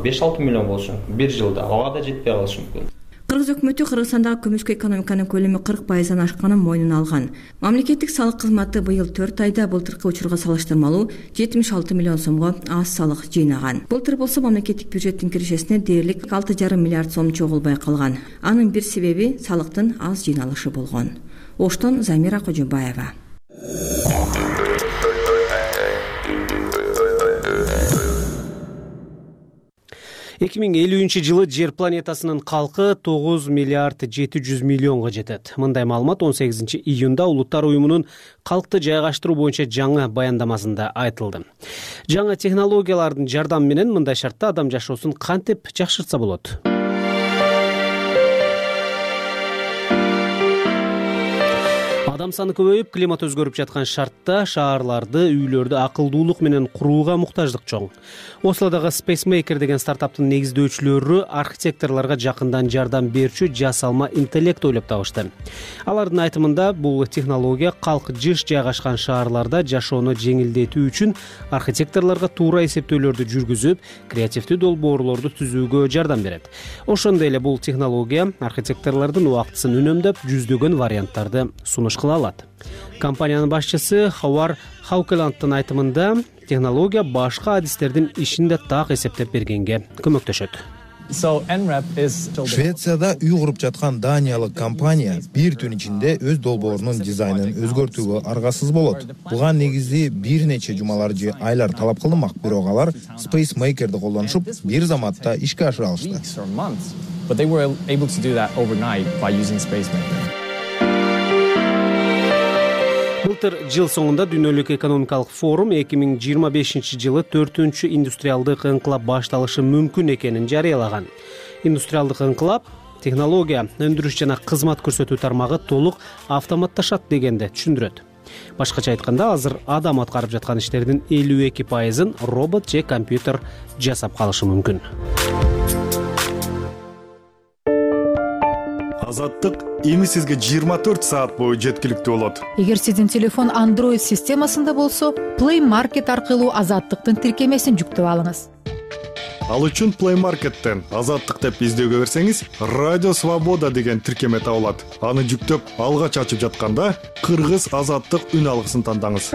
беш алты миллион болушу мүмкүн бир жылда. Ага да жетпей калышы мүмкүн. Кыргыз өкмөтү Кыргызстандагы көмүскө экономиканын көлөмү кырк пайыздан ашканын мойнуна алган. Мамлекеттик салык кызматы быйыл төрт айда былтыркы учурга салыштырмалуу жетимиш алты миллион сомго аз салык жыйнаган. Былтыр болсо мамлекеттик бюджеттин кирешесине дээрлик алты жарым миллиард сом чогулбай калган. Анын бир себеби салыктын аз жыйналышы болгон. Оштон Замира Кожобаева. эки миң элүүнчү жылы жер планетасынын калкы тогуз миллиард жети жүз миллионго жетет. Мындай маалымат он сегизинчи июнда Улуттар уюмунун калкты жайгаштыруу боюнча жаңы баяндамасында айтылды. Жаңы технологиялардын жардамы менен мындай шартта адам жашоосун кантип жакшыртса болот? Адам саны көбөйүп, климат өзгөрүп жаткан шартта шаарларды, үйлөрдү акылдуулук менен курууга муктаждык чоң. Ослодогу SpaceMaker деген стартаптын негиздөөчүлөрү архитекторлорго жакындан жардам берүүчү жасалма интеллект ойлоп табышты. Алардын айтымында, бул технология калк жыш жайгашкан шаарларда жашоону жеңилдетүү үчүн архитекторлорго туура эсептөөлөрдү жүргүзүп, креативдүү долбоорлорду түзүүгө жардам берет. Ошондой эле бул технология архитекторлордун убактысын үнөмдөп, жүздөгөн варианттарды сунуш кыла алат. Компаниянын башчысы Ховар Хаукеландтын айтымында, технология башка адистердин ишин да так эсептеп бергенге көмөктөшөт. Швецияда үй куруп жаткан даниялык компания бир түн ичинде өз долбоорунун дизайнын өзгөртүүгө аргасыз болот. Буга негизи бир нече жумалар же айлар талап кылынмак, бирок алар SpaceMaker'ди колдонушуп, бир заматта ишке ашыра алышты. Былтыр жыл соңунда Дүйнөлүк экономикалык форум эки миң жыйырма бешинчи жылы төртүнчү индустриалдык ыңкылап башталышы мүмкүн экенин жарыялаган. Индустриалдык ыңкылап технология, өндүрүш жана кызмат көрсөтүү тармагы толук автоматташат дегенди түшүндүрөт. Башкача айтканда, азыр адам аткарып жаткан иштердин элүү эки пайызын робот же компьютер жасап калышы мүмкүн. Азаттык эми сизге жыйырма төрт саат бою жеткиликтүү болот. Эгер сиздин телефон Android системасында болсо, Play Market аркылуу Азаттыктын тиркемесин жүктөп алыңыз. Ал үчүн Play Market'тен Азаттык деп издөөгө берсеңиз, Радио Свобода деген тиркеме табылат. Аны жүктөп, алгач ачып жатканда Кыргыз Азаттык үн алгысын тандаңыз.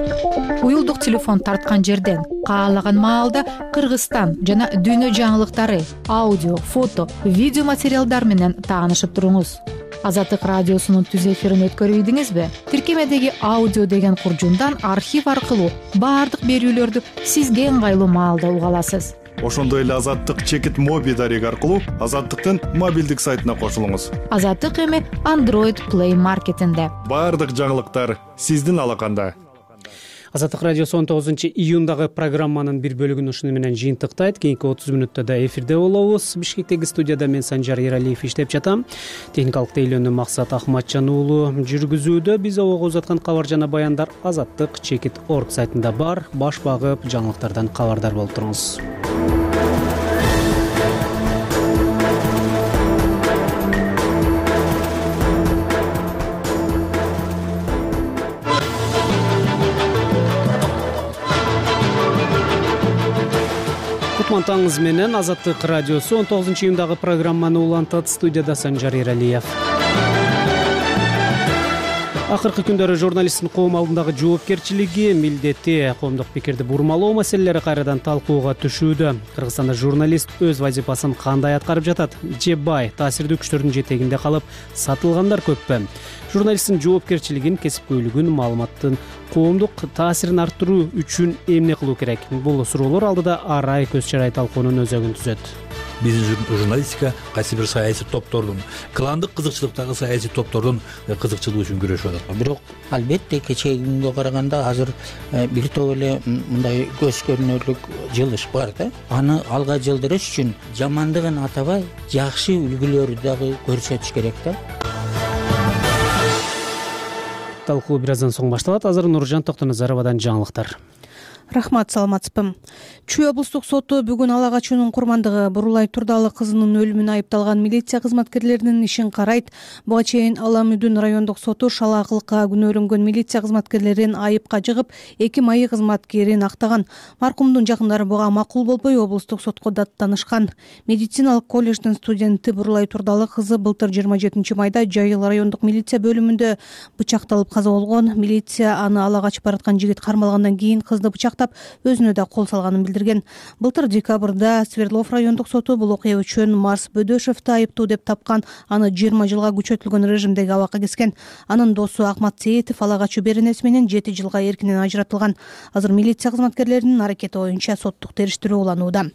Уюлдук телефон тарткан жерден каалаган маалда Кыргызстан жана дүйнө жаңылыктары, аудио, фото, видео материалдар менен таанышып туруңуз. Азаттык радиосунун түз эфирин өткөрүйдүңүзбү? Тиркемедеги аудио деген куржундан архив аркылуу баардык берүүлөрдү сизге ыңгайлуу маалда уга аласыз. Ошондой эле Азаттык чекит моби дареги аркылуу Азаттыктын мобилдик сайтына кошулуңуз. Азаттык эми Android Play Market'инде. Баардык жаңылыктар сиздин алаканда. Азаттык радиосу он тогузунчу июндагы программанын бир бөлүгүн ушуну менен жыйынтыктайт. Кийинки отуз мүнөттө да эфирде болобуз. Бишкектеги студияда мен Санжар Эралиев иштеп жатам. Техникалык тейлөөнү Максат Ахматжан уулу жүргүзүүдө. Биз обого узаткан кабар жана баяндар Азаттык чекит точка орг сайтында бар. Баш багып жаңылыктардан кабардар болуп туруңуз. Кутмантаңыз менен Азаттык радиосу он тогузунчу июндагы программаны улантат. Студияда Санжар Эралиев. Акыркы күндөрү журналисттин коом алдындагы жоопкерчилиги, милдети, коомдук пикирди бурмалоо маселелери кайрадан талкууга түшүүдө. Кыргызстанда журналист өз вазифасын кандай аткарып жатат? Же бай, таасирдүү күчтөрдүн жетегинде калып сатылгандар көппү? Журналисттин жоопкерчилигин, кесипкөйлүгүн, маалыматтын коомдук таасирин арттыруу үчүн эмне кылуу керек? Бул суроолор алдыда арай көз чарай талкуунун өзөгүн түзөт. Биздин журналистика кайсы бир саясий топтордун, кландык кызыкчылыктагы саясий топтордун кызыкчылыгы үчүн күрөшүп атат. Бирок албетте кечээги күнгө караганда азыр бир топ эле мындай көз көрүнөрлүк жылыш бар да. Аны алга жылдырыш үчүн жамандыгын атабай, жакшы үлгүлөрдү дагы көрсөтүш керек да. Талкуу бир аздан соң башталат. Азыр Нуржан Токтоназаровадан жаңылыктар. Рахмат, саламатсызбы. Чүй облустук соту бүгүн ала качуунун курмандыгы Бурулай Турдалы кызынын өлүмүнө айыпталган милиция кызматкерлеринин ишин карайт. Буга чейин Ала Мүдүн райондук соту шалаакылыкка күнөөлөнгөн милиция кызматкерлерин айыпка жыгып, эки майы кызматкерин актаган. Маркумдун жакындары буга макул болбой облустук сотко даттанышкан. Медициналык колледждин студенти Бурулай Турдалы кызы былтыр жыйырма жетинчи майда Жайыл райондук милиция бөлүмүндө бычакталып каза болгон. Милиция аны ала качып бараткан жигит кармалгандан кийин кызды бычактап өзүнө да кол салганын билдирген. Былтыр декабрда Свердлов райондук соту бул окуя үчүн Марс Бөдөшевди айыптуу деп тапкан, аны жыйырма жылга күчөтүлгөн режимдеги абакка кескен. Анын досу Акмат Сейитов ала качуу беренеси менен жети жылга эркинен ажыратылган. Азыр милиция кызматкерлеринин аракети боюнча соттук териштирүү уланууда.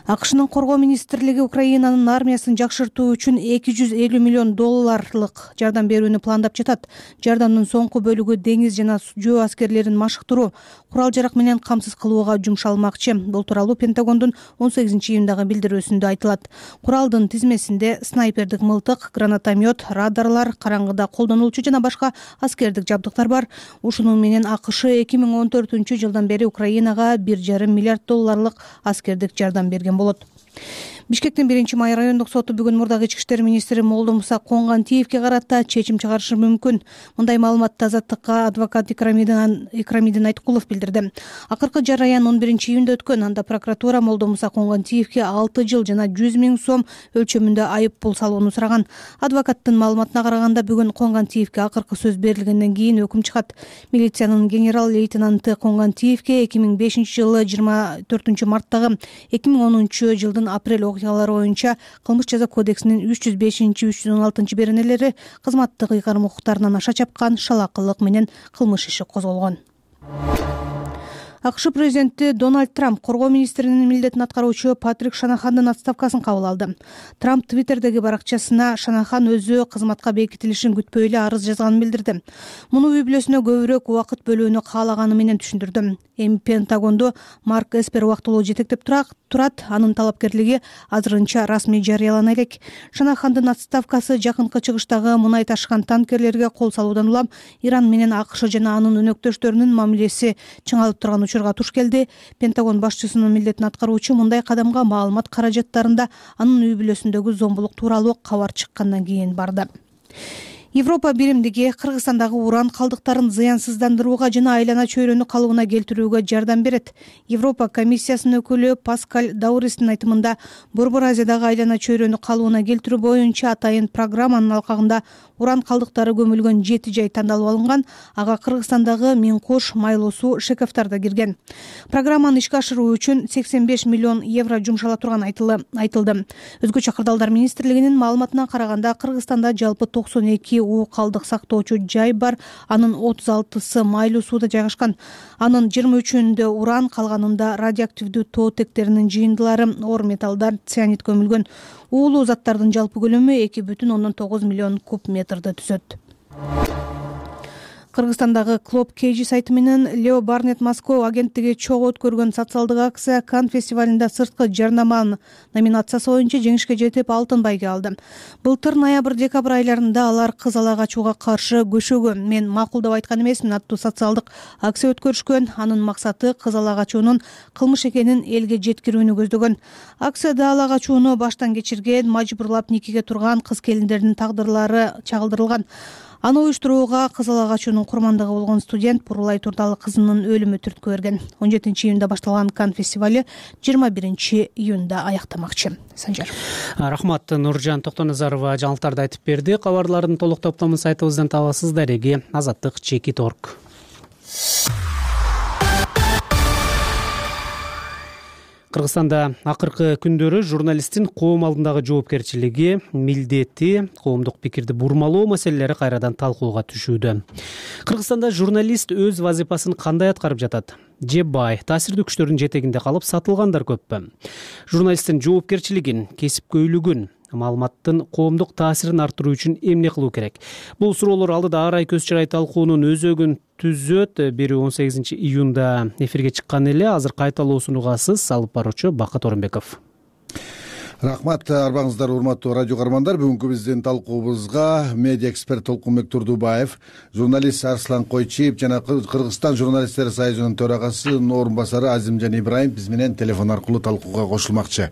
АКШнын коргоо министрлиги Украинанын армиясын жакшыртуу үчүн эки жүз элүү миллион долларлык жардам берүүнү пландап жатат. Жардамдын соңку бөлүгү деңиз жана жөө аскерлерин машыктыруу, курал-жарак менен камсыз кылууга жумшалмакчы. Бул тууралуу Пентагондун он сегизинчи июндагы билдирүүсүндө айтылат. Куралдын тизмесинде снайпердик мылтык, гранатомет, радарлар, караңгыда колдонулчу жана башка аскердик жабдыктар бар. Ушунун менен АКШ эки миң он төртүнчү жылдан бери Украинага бир жарым миллиард долларлык аскердик жардам берген болот. Бишкектин биринчи май райондук соту бүгүн мурдагы ички иштер министри Молдомуса Конгантиевге карата чечим чыгарышы мүмкүн. Мындай маалыматты Азаттыкка адвокат Икрамидин Икрамидин Айткулов билдирди. Акыркы жараян он биринчи июнда өткөн. Анда прокуратура Молдомуса Конгантиевге алты жыл жана жүз миң сом өлчөмүндө айып пул салууну сураган. Адвокаттын маалыматына караганда бүгүн Конгантиевге акыркы сөз берилгенден кийин өкүм чыгат. Милициянын генерал-лейтенанты Конгантиевге эки миң бешинчи жылы жыйырма төртүнчү марттагы эки миң онунчу жылдын апрель окуялары боюнча кылмыш жаза кодексинин үч жүз бешинчи үч жүз он алтынчы беренелери кызматтык ыйгарым укуктарынан аша чапкан шалаакылык менен кылмыш иши козголгон. АКШ президенти Дональд Трамп коргоо министринин милдетин аткаруучу Патрик Шанахандын отставкасын кабыл алды. Трамп Твиттердеги баракчасына Шанахан өзү кызматка бекитилишин күтпөй эле арыз жазганын билдирди. Муну үй бүлөсүнө көбүрөөк убакыт бөлүүнү каалаганы менен түшүндүрдү. эми Пентагонду Марк Эспер убактылуу жетектеп турат. Анын талапкерлиги азырынча расмий жарыялана элек. Шанахандын отставкасы жакынкы чыгыштагы мунай ташыган танкерлерге кол салуудан улам Иран менен АКШ жана анын өнөктөштөрүнүн мамилеси чыңалып турган учурга туш келди. Пентагон башчысынын милдетин аткаруучу мындай кадамга маалымат каражаттарында анын үй бүлөсүндөгү зомбулук тууралуу кабар чыккандан кийин барды. Европа биримдиги Кыргызстандагы уран калдыктарын зыянсыздандырууга жана айлана чөйрөнү калыбына келтирүүгө жардам берет. Европа комиссиясынын өкүлү Паскаль Дауристин айтымында Борбор Азиядагы айлана чөйрөнү калыбына келтирүү боюнча атайын программанын алкагында уран калдыктары көмүлгөн жети жай тандалып алынган. Ага Кыргызстандагы Миң-Кош, Майлуу суу, Шековтар да кирген. Программаны ишке ашыруу үчүн сексен беш миллион евро жумшала турган айтылды. Өзгөчө кырдаалдар министрлигинин маалыматына караганда Кыргызстанда жалпы токсон эки уу калдык сактоочу жай бар. Анын отуз алтысы Майлуу сууда жайгашкан. Анын жыйырма үчүндө уран, калганында радиоактивдүү тоо тектеринин жыйындылары, оор металлдар, цианид көмүлгөн. Уулуу заттардын жалпы көлөмү эки бүтүн ондон тогуз миллион куб метрди түзөт. Кыргызстандагы Клоп Кейжи сайты менен Лео Барнет Москва агенттиги чогуу өткөргөн социалдык акция Кан фестивалында сырткы жарнама номинациясы боюнча жеңишке жетип алтын байге алды. Былтыр ноябрь-декабрь айларында алар кыз ала качууга каршы көшөгө мен макулдап айткан эмесмин аттуу социалдык акция өткөрүшкөн. Анын максаты кыз ала качуунун кылмыш экенин элге жеткирүүнү көздөгөн. Акцияда ала качууну баштан кечирген, мажбурлап никеге турган кыз келиндердин тагдырлары чагылдырылган. Аны уюштурууга кыз ала качуунун курмандыгы болгон студент Бурулай Турдалы кызынын өлүмү түрткү берген. он жетинчи июнда башталган Кан фестивали жыйырма биринчи июнда аяктамакчы. Санжар. Рахмат. Нуржан Токтоназарова жаңылыктарды айтып берди. Кабарлардын толук топтомун сайтыбыздан табасыз. Дареги азаттык чекит орг. Кыргызстанда акыркы күндөрү журналисттин коом алдындагы жоопкерчилиги, милдети, коомдук пикирди бурмалоо маселелери кайрадан талкууга түшүүдө. Кыргызстанда журналист өз вазифасын кандай аткарып жатат? Же бай, таасирдүү күчтөрдүн жетегинде калып сатылгандар көппү? Журналисттин жоопкерчилигин, кесипкөйлүгүн, маалыматтын коомдук таасирин арттыруу үчүн эмне кылуу керек? Бул суроолор алдыда ар ай көз чырай талкуунун өзөгүн түзөт. Бери он сегизинчи июнда эфирге чыккан эле. Азыр кайталоо сунугасыз алып баруучу Бакыт Орунбеков. Рахмат, арбаңыздар урматтуу радио каармандар. Бүгүнкү биздин талкуубузга медиа эксперт Толкунбек Турдубаев, журналист Арслан Койчиев жана Кыргызстан журналисттер союзунун төрагасынын орун басары Азимжан Ибраим биз менен телефон аркылуу талкууга кошулмакчы.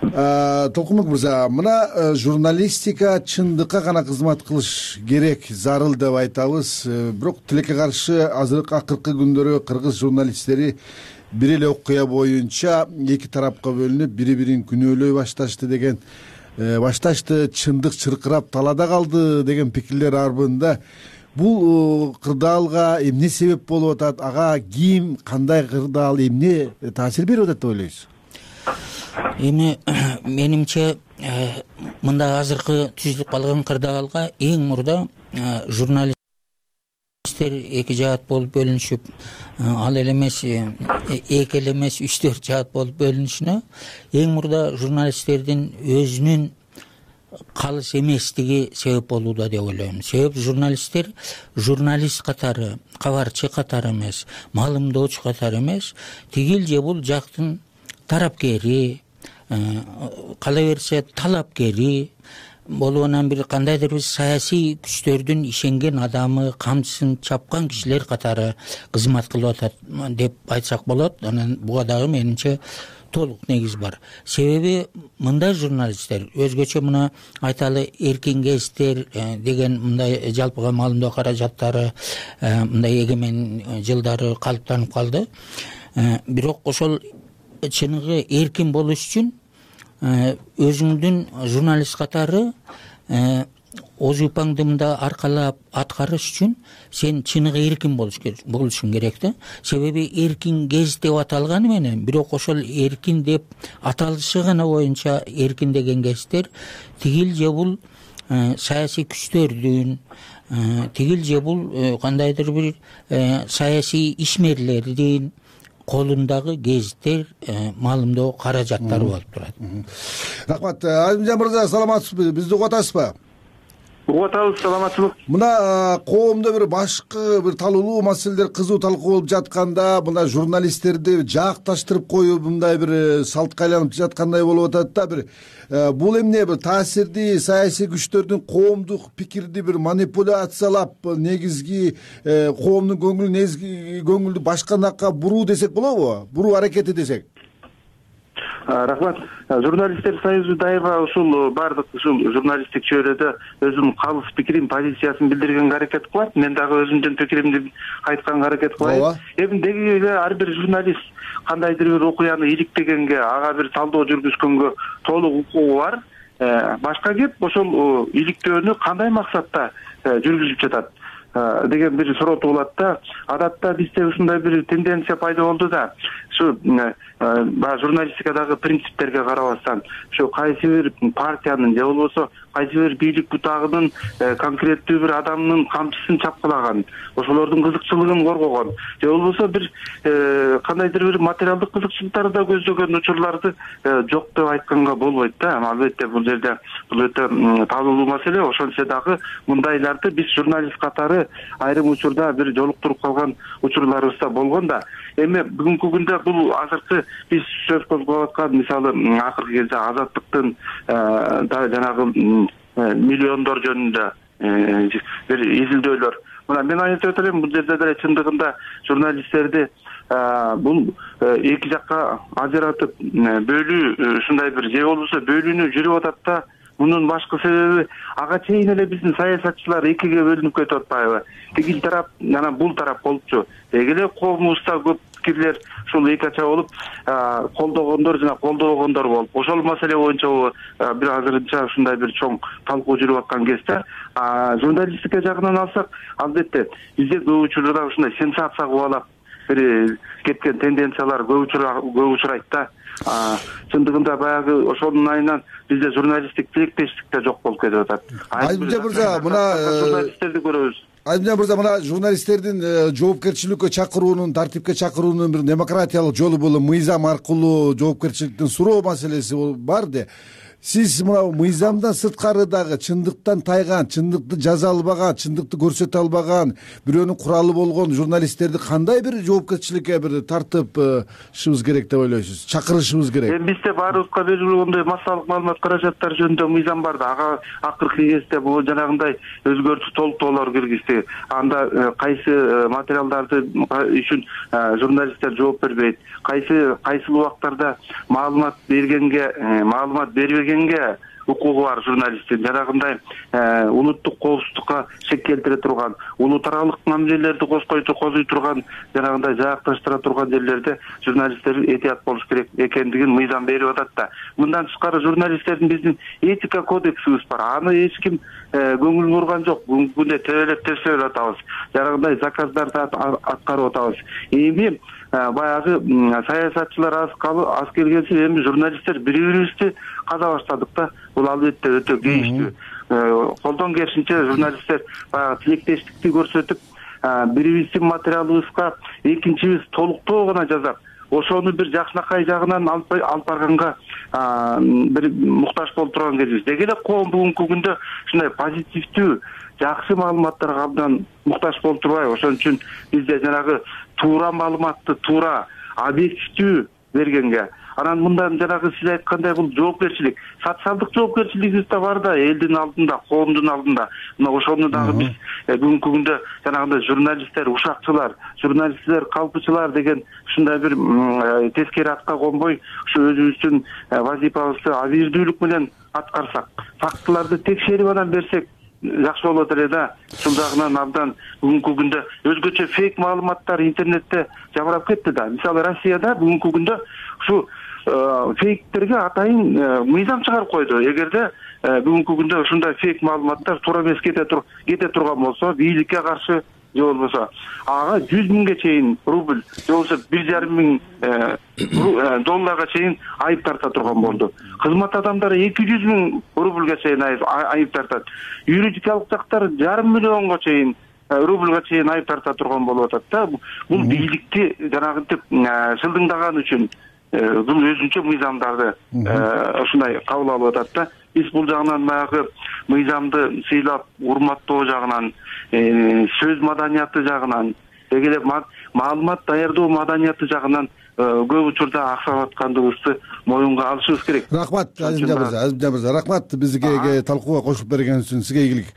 Толкунбек мырза, мына журналистика чындыкка гана кызмат кылыш керек, зарыл деп айтабыз. Бирок тилекке каршы азыркы акыркы күндөрү кыргыз журналисттери бир эле окуя боюнча эки тарапка бөлүнүп, бири-бирин күнөөлөй башташты деген, башташты, чындык чыркырап талаада калды деген пикирлер арбында. Бул кырдаалга эмне себеп болуп атат? Ага ким, кандай кырдаал, эмне таасир берип атат деп ойлойсуз? Эми менимче мындай азыркы түзүлүп калган кырдаалга эң мурда журналист эки жаат болуп бөлүнүшүп, ал эле эмес, эки эле эмес, үч төрт жаат болуп бөлүнүшүнө эң мурда журналисттердин өзүнүн калыс эместиги себеп болууда деп ойлойм. Себеп журналисттер журналист катары, кабарчы катары эмес, маалымдоочу катары эмес, тигил же бул жактын тарапкери, кала берсе талапкери болуп, анан бир кандайдыр бир саясий күчтөрдүн ишенген адамы, камчысын чапкан кишилер катары кызмат кылып атат деп айтсак болот. Анан буга дагы менимче толук негиз бар. Себеби мындай журналисттер өзгөчө, мына айталы эркин кездер деген мындай жалпыга маалымдоо каражаттары мындай эгемен жылдары калыптанып калды. Бирок ошол чыныгы эркин болуш үчүн өзүңдүн журналист катары озупаңды мында аркалап аткарыш үчүн сен чыныгы эркин болушуң керек да. Себеби эркин кез деп аталганы менен, бирок ошол эркин деп аталышы гана боюнча эркин деген кездер тигил же бул саясий күчтөрдүн, тигил же бул кандайдыр бир саясий ишмерлердин колундагы гезиттер, маалымдоо каражаттары болуп турат. Рахмат. Азимжан мырза, саламатсызбы? Бизди угуп атасызбы? угуп атабыз. Саламатчылык. Мына коомдо бир башкы бир талкуулуу маселелер кызуу талкуу болуп жатканда мына журналисттерди жаакташтырып коюу мындай бир салтка айланып жаткандай болуп атат да. Бир бул эмне бир таасирдүү саясий күчтөрдүн коомдук пикирди бир манипуляциялап негизги коомдун көңүлүн негизги көңүлдү башка жакка буруу десек болобу? Буруу аракети десек. Рахмат. Журналисттер союзу дайыма ушул баардык ушул журналисттик чөйрөдө өзүнүн калыс пикирин, позициясын билдиргенге аракет кылат. Мен дагы өзүмдүн пикиримди айтканга аракет кылайын. Эми деги эле ар бир журналист кандайдыр бир окуяны иликтегенге, ага бир талдоо жүргүзгөнгө толук укугу бар. Башка кеп ошол иликтөөнү кандай максатта жүргүзүп жатат деген бир суроо туулат да. Адатта бизде ушундай бир тенденция пайда болду да. Ушу баягы журналистикадагы принциптерге карабастан, ушу кайсы бир партиянын же болбосо кайсы бир бийлик бутагынын конкреттүү бир адамдын камчысын чапкылаган, ошолордун кызыкчылыгын коргогон, же болбосо бир кандайдыр бир материалдык кызыкчылыктарды да көздөгөн учурларды жок деп айтканга болбойт да. Албетте бул жерде бул өтө талкуулуу маселе. Ошентсе дагы мындайларды биз журналист катары айрым учурда бир жолуктуруп калган учурларыбыз да болгон да. Эми бүгүнкү күндө бул азыркы биз сөз козгоп аткан, мисалы акыркы кезде азаттыктын жанагы миллиондор жөнүндө бир изилдөөлөр. Мына мен айтып элем, бул жерде деле чындыгында журналисттерди бул эки жакка ажыратып бөлүү, ушундай бир же болбосо бөлүүнү жүрүп атат да. Мунун башкы себеби ага чейин эле биздин саясатчылар экиге бөлүнүп кетип атпайбы? Тигил тарап, анан бул тарап болупчу. Деги эле коомубузда көп пикирлер ушул эки ача болуп, колдогондор жана колдобогондор болуп, ошол маселе боюнча бир азырынча ушундай бир чоң талкуу жүрүп аткан кезде, журналистика жагынан алсак, албетте бизде көп учурда ушундай сенсация кубалап бир кеткен тенденциялар көп учурайт да. Чындыгында баягы ошонун айынан бизде журналисттик тилектештик да жок болуп кетип атат. Айдмырза мырза, мына журналисттерди көрөбүз. Айдмырза мырза, мына журналисттердин жоопкерчиликке чакыруунун, тартипке чакыруунун бир демократиялык жолу бул мыйзам аркылуу жоопкерчиликтин суроо маселеси бар де. Сиз мына мыйзамдан сырткары дагы чындыктан тайган, чындыкты жаза албаган, чындыкты көрсөтө албаган, бирөөнүн куралы болгон журналисттерди кандай бир жоопкерчиликке бир тартышыбыз керек деп ойлойсуз? Чакырышыбыз керек. Эми бизде баарыбызга белгилүү массалык маалымат каражаттары жөнүндө мыйзам бар да. Ага акыркы кезде бул жанагындай өзгөртүү толуктоолор киргизди. Анда кайсы материалдарды үчүн журналисттер жооп бербейт, кайсы кайсыл убактарда маалымат бергенге, маалымат бербеген укугу бар журналисттин, жанагындай улуттук коопсуздукка шек келтире турган, улут аралык мамилелерди козгой козуй турган, жанагындай жаакташтыра турган жерлерде журналисттер этият болуш керек экендигин мыйзам берип атат да. Мындан тышкары журналисттердин биздин этика кодексибиз бар. Аны эч ким көңүл бурган жок. Бүгүнкү күндө тебелеп тепселеп атабыз. Жанагындай заказдарды аткарып атабыз. Эми баягы саясатчылар аз келгенси эми журналисттер бири-бирибизди каза баштадык да. Бул албетте өтө кейиштүү. Колдон келишинче журналисттер баягы тилектештикти көрсөтүп, бирибиздин материалыбызга экинчибиз толуктоо гана жазап, ошону бир жакшынакай жагынан алып барганга бир муктаж болуп турган кезибиз. Деги эле коом бүгүнкү күндө ушундай позитивдүү, жакшы маалыматтарга абдан муктаж болуп турбайбы? Ошон үчүн бизде жанагы туура маалыматты туура, объективдүү бергенге, анан мындан жанагы сиз айткандай бул жоопкерчилик, социалдык жоопкерчилигибиз да бар да, элдин алдында, коомдун алдында. Мына ошону дагы биз бүгүнкү күндө жанагындай журналисттер, ушакчылар, журналисттер, калпычылар деген ушундай бир тескери атка конбой, ушу өзүбүздүн вазифабызды абийирдүүлүк менен аткарсак, фактыларды текшерип анан берсек жакшы болот эле да. Ушул жагынан абдан бүгүнкү күндө өзгөчө фейк маалыматтар интернетте жамырап кетти да. Мисалы Россияда бүгүнкү күндө ушу фейктерге атайын мыйзам чыгарып койду. Эгерде бүгүнкү күндө ушундай фейк маалыматтар туура эмес кете турган болсо, бийликке каршы же болбосо ага жүз миңге чейин рубль, же болбосо бир жарым миң долларга чейин айып тарта турган болду. Кызмат адамдары эки жүз миң рубльга чейин айып тартат. Юридикалык жактар жарым миллионго чейин рубльга чейин айып тарта турган болуп атат да. Бул бийликти жанагынтип шылдыңдаган үчүн бул өзүнчө мыйзамдарды ушундай кабыл алып атат да. биз бул жагынан баягы мыйзамды сыйлап урматтоо жагынан, сөз маданияты жагынан, деги эле маалымат даярдоо маданияты жагынан көп учурда аксап аткандыгыбызды моюнга алышыбыз керек. Рахмат Азимжан мырза, Азимжан мырза, рахмат бизге талкууга кошулуп бергениңиз үчүн сизге ийгилик.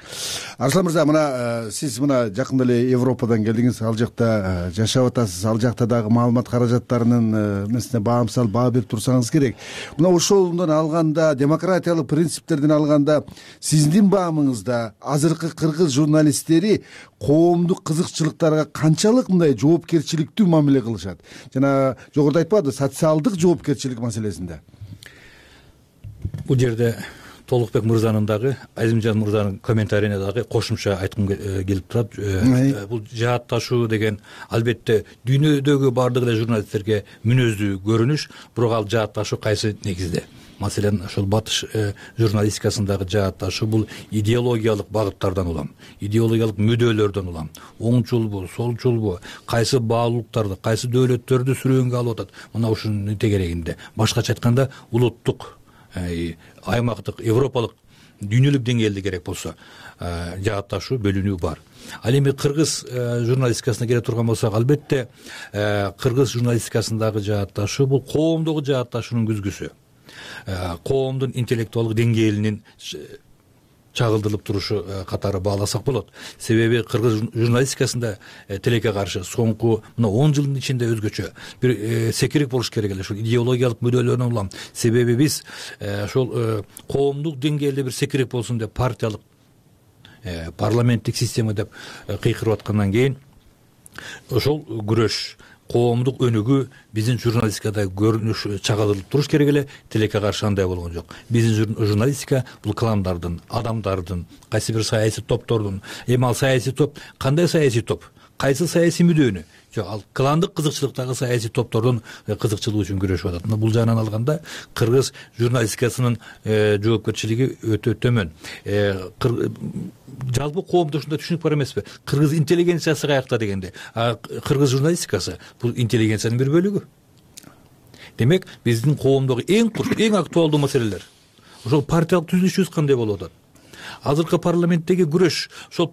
Арслан мырза, мына сиз мына жакында эле Европадан келдиңиз, ал жакта жашап атасыз, ал жакта дагы маалымат каражаттарынын эмесине баа салып баа берип турсаңыз керек. Мына ошондон алганда, демократиялык принциптерден алганда, сиздин баамыңызда азыркы кыргыз журналисттери коомдук кызыкчылыктарга канчалык мындай жоопкерчиликтүү мамиле кылышат? Жана жогоруда айтпады, социалдык жоопкерчилик маселесинде. Бул жерде Толукбек мырзанын дагы, Азимжан мырзанын комментарийине дагы кошумча айткым келип турат. Бул жаатташуу деген албетте дүйнөдөгү бардык эле журналисттерге мүнөздүү көрүнүш, бирок ал жаатташуу кайсы негизде? Маселен, ошол батыш журналистикасындагы жаатташуу бул идеологиялык багыттардан улам, идеологиялык мүдөлөрдөн улам. Оңчулбу, солчулбу, кайсы баалуулуктарды, кайсы дөөлөттөрдү сүрөөнгө алып атат. Мына ушунун тегерегинде. Башкача айтканда, улуттук, аймактык, европалык, дүйнөлүк деңгээлде керек болсо жаатташуу, бөлүнүү бар. Ал эми кыргыз журналистикасына келе турган болсок, албетте кыргыз журналистикасындагы жаатташуу бул коомдогу жаатташуунун күзгүсү. Коомдун интеллектуалдык деңгээлинин чагылдырылып турушу катары бааласак болот. Себеби кыргыз журналистикасында тилекке каршы соңку мына он жылдын ичинде өзгөчө бир секирик болуш керек эле, ушул идеологиялык мүдөлөрдөн улам. Себеби биз ошол коомдук деңгээлде бир секирик болсун деп партиялык, парламенттик система деп кыйкырып аткандан кийин ошол күрөш, коомдук өнүгүү биздин журналистикада көрүнүш чагылдырылып туруш керек эле, тилекке каршы андай болгон жок. Биздин журналистика бул кландардын, адамдардын, кайсы бир саясий топтордун, эми ал саясий топ кандай саясий топ, кайсы саясий мүдөнү, жок, ал кландык кызыкчылыктагы саясий топтордун кызыкчылыгы үчүн күрөшүп атат. Бул жагынан алганда кыргыз журналистикасынын жоопкерчилиги өтө төмөн. Жалпы коомдо ушундай түшүнүк бар эмеспи? Кыргыз интеллигенциясы каякта дегенде, кыргыз журналистикасы бул интеллигенциянын бир бөлүгү. Демек, биздин коомдогу эң эң актуалдуу маселелер ошол партиялык түзүлүшүбүз кандай болуп атат? Азыркы парламенттеги күрөш, ошол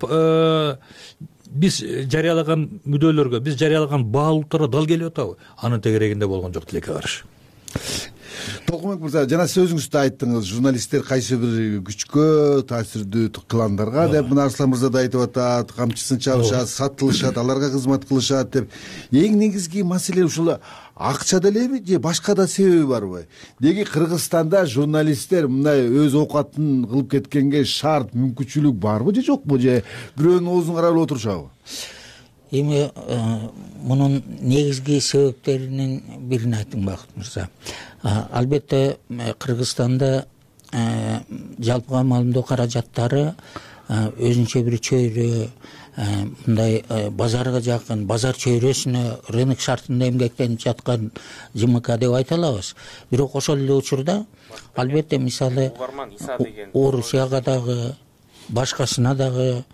биз жарыялаган мүдөлөргө, биз жарыялаган баалуулуктарга дал келип атабы? Анын тегерегинде болгон жок, тилекке каршы. Толкунбек мырза, жана сиз өзүңүз да айттыңыз, журналисттер кайсы бир күчкө, таасирдүү кландарга деп, мына Арслан мырза да айтып атат, камчысын чабышат, сатылышат, аларга кызмат кылышат деп. Эң негизги маселе ушул акчада элеби же башка да себеби барбы? Деги Кыргызстанда журналисттер мындай өз оокатын кылып кеткенге шарт, мүмкүнчүлүк барбы же жокпу, же бирөөнүн оозун карап эле отурушабы? Эми мунун негизги себептеринин бирин айттым, Бакыт мырза. Албетте Кыргызстанда жалпыга маалымдоо каражаттары өзүнчө бир чөйрө, мындай базарга жакын, базар чөйрөсүнө, рынок шартында эмгектенип жаткан ЖМК деп айта алабыз. Бирок ошол эле учурда албетте мисалы Орусияга дагы, башкасына дагы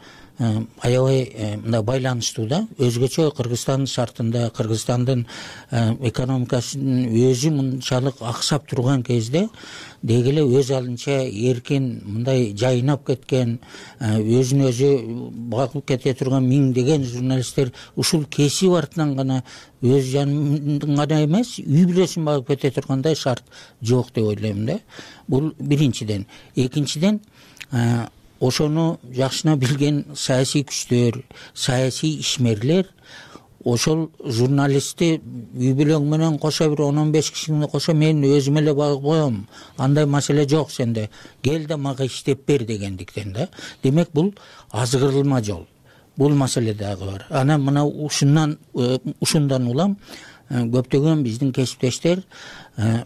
аябай мындай байланыштуу да. Өзгөчө Кыргызстан шартында, Кыргызстандын экономикасынын өзү мынчалык аксап турган кезде деги эле өз алынча эркин мындай жайнап кеткен, өзүн өзү багып кете турган миңдеген журналисттер ушул кесип артынан гана өз жанын гана эмес, үй бүлөсүн багып кете тургандай шарт жок деп ойлойм да. Бул биринчиден. Экинчиден, ошону жакшына билген саясий күчтөр, саясий ишмерлер ошол журналистти үй бүлөң менен кошо бир он он беш кишини кошо мен өзүм эле багып коем, андай маселе жок сенде, кел да мага иштеп бер дегендиктен да. Демек, бул азгырылма жол. Бул маселе дагы бар. Анан мына ушундан ушундан улам көптөгөн биздин кесиптештер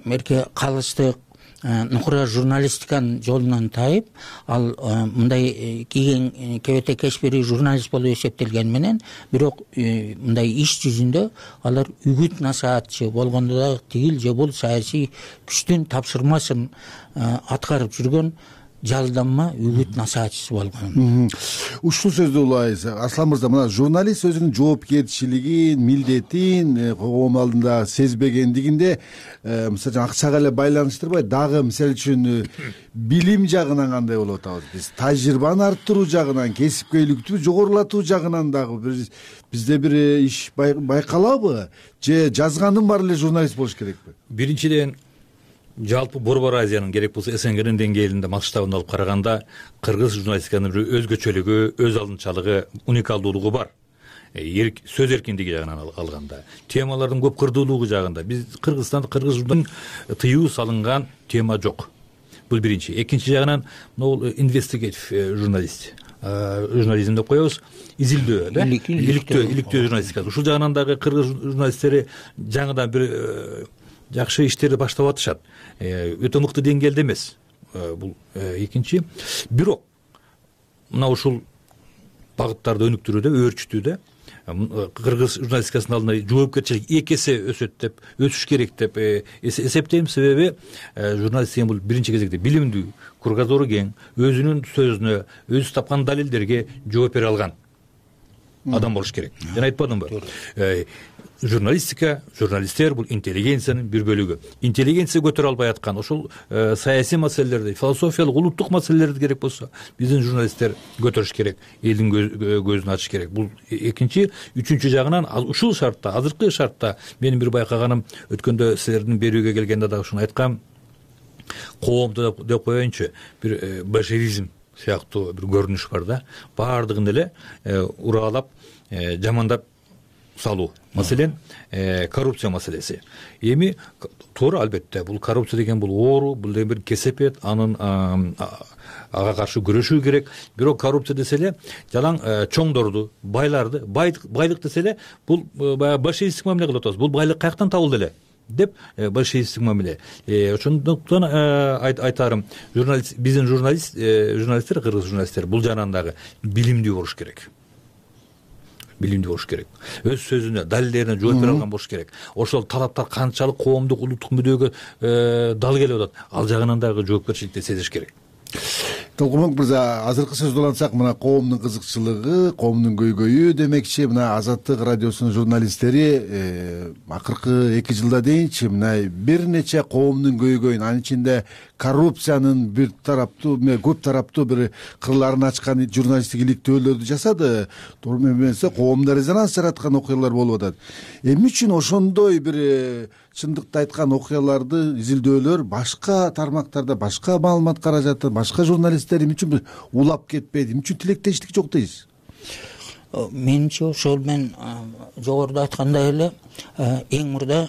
мерке калыстык нукура журналистиканын жолунан тайып, ал мындай кийин кебете кечпери журналист болуп эсептелгени менен, бирок мындай иш жүзүндө алар үгүт насаатчы болгондо дагы тигил же бул саясий күчтүн тапшырмасын аткарып жүргөн жалданма үгүт насаатчысы болгон. Ушул сөздү улайбыз. Арслан мырза, мына журналист өзүнүн жоопкерчилигин, милдетин коом алдында сезбегендигинде мисалы акчага эле байланыштырбай, дагы мисалы үчүн билим жагынан кандай болуп атабыз биз? Тажрыйбаны арттыруу жагынан, кесипкөйлүктү жогорулатуу жагынан дагы бизде бир иш байкалабы? Же жазгандын баары эле журналист болуш керекпи? Биринчиден, жалпы Борбор Азиянын керек болсо СНГнин деңгээлинде масштабын алып караганда кыргыз журналистиканын бир өзгөчөлүгү, өз алдынчалыгы, уникалдуулугу бар. Сөз эркиндиги жагынан алганда, темалардын көп кырдуулугу жагында биз Кыргызстанда кыргыз журналистикасына тыюу салынган тема жок. Бул биринчи. Экинчи жагынан бул инвестигатив журналист журнализм деп коебуз, изилдөө, да? Иликтөө, иликтөө журналистика. Ушул жагынан дагы кыргыз журналисттери жаңыдан бир жакшы иштерди баштап атышат. Өтө мыкты деңгээлде эмес. Бул экинчи. Бирок мына ушул багыттарды өнүктүрүүдө, өөрчүтүүдө кыргыз журналистикасынын алдында жоопкерчилик эки эсе өсөт деп, өсүш керек деп эсептейм. Себеби журналист деген бул биринчи кезекте билимдүү, кругозору кең, өзүнүн сөзүнө, өзү тапкан далилдерге жооп бере алган адам болуш керек. Жана айтпадымбы? Журналистика, журналисттер бул интеллигенциянын бир бөлүгү. Интеллигенция көтөрө албай аткан ошол саясий маселелерди, философиялык, улуттук маселелерди керек болсо биздин журналисттер көтөрүш керек, элдин көзүн ачыш керек. Бул экинчи. Үчүнчү жагынан ушул шартта, азыркы шартта менин бир байкаганым, өткөндө силердин берүүгө келгенде дагы ушуну айткам, коомду деп коеюнчу, бир большевизм сыяктуу бир көрүнүш бар да. Баардыгын эле ураалап, жамандап салуу. Маселен, коррупция маселеси. Эми туура, албетте, бул коррупция деген бул оору, бул деген бир кесепет, анын ага каршы күрөшүү керек. Бирок коррупция десе эле жалаң чоңдорду, байларды, байлык десе эле бул баягы большевистик мамиле кылып атабыз. Бул байлык каяктан табылды эле деп большевистик мамиле. Ошондуктан айтарым, журналист, биздин журналист, журналисттер, кыргыз журналисттер бул жагынан дагы билимдүү болуш керек. Билимдүү болуш керек. Өз сөзүнө, далилдерине жооп бере алган болуш керек. Ошол талаптар канчалык коомдук, улуттук мүдөгө дал келип атат, ал жагынан дагы жоопкерчиликти сезиш керек. Толкунбек мырза, азыркы сөздү улантсак, мына коомдун кызыкчылыгы, коомдун көйгөйү демекчи, мына Азаттык радиосунун журналисттери акыркы эки жылда дейинчи мына бир нече коомдун көйгөйүн, анын ичинде коррупциянын бир тараптуу, көп тараптуу бир кырларын ачкан журналисттик иликтөөлөрдү жасады. Туура эмесе, коомдо резонанс жараткан окуялар болуп атат. Эмне үчүн ошондой бир чындыкты айткан окуяларды, изилдөөлөр башка тармактарда, башка маалымат каражаты, башка журналисттер эмне үчүн улап кетпейди, эмне үчүн тилектештик жок дейсиз? Менимче ошол мен жогоруда айткандай эле, эң мурда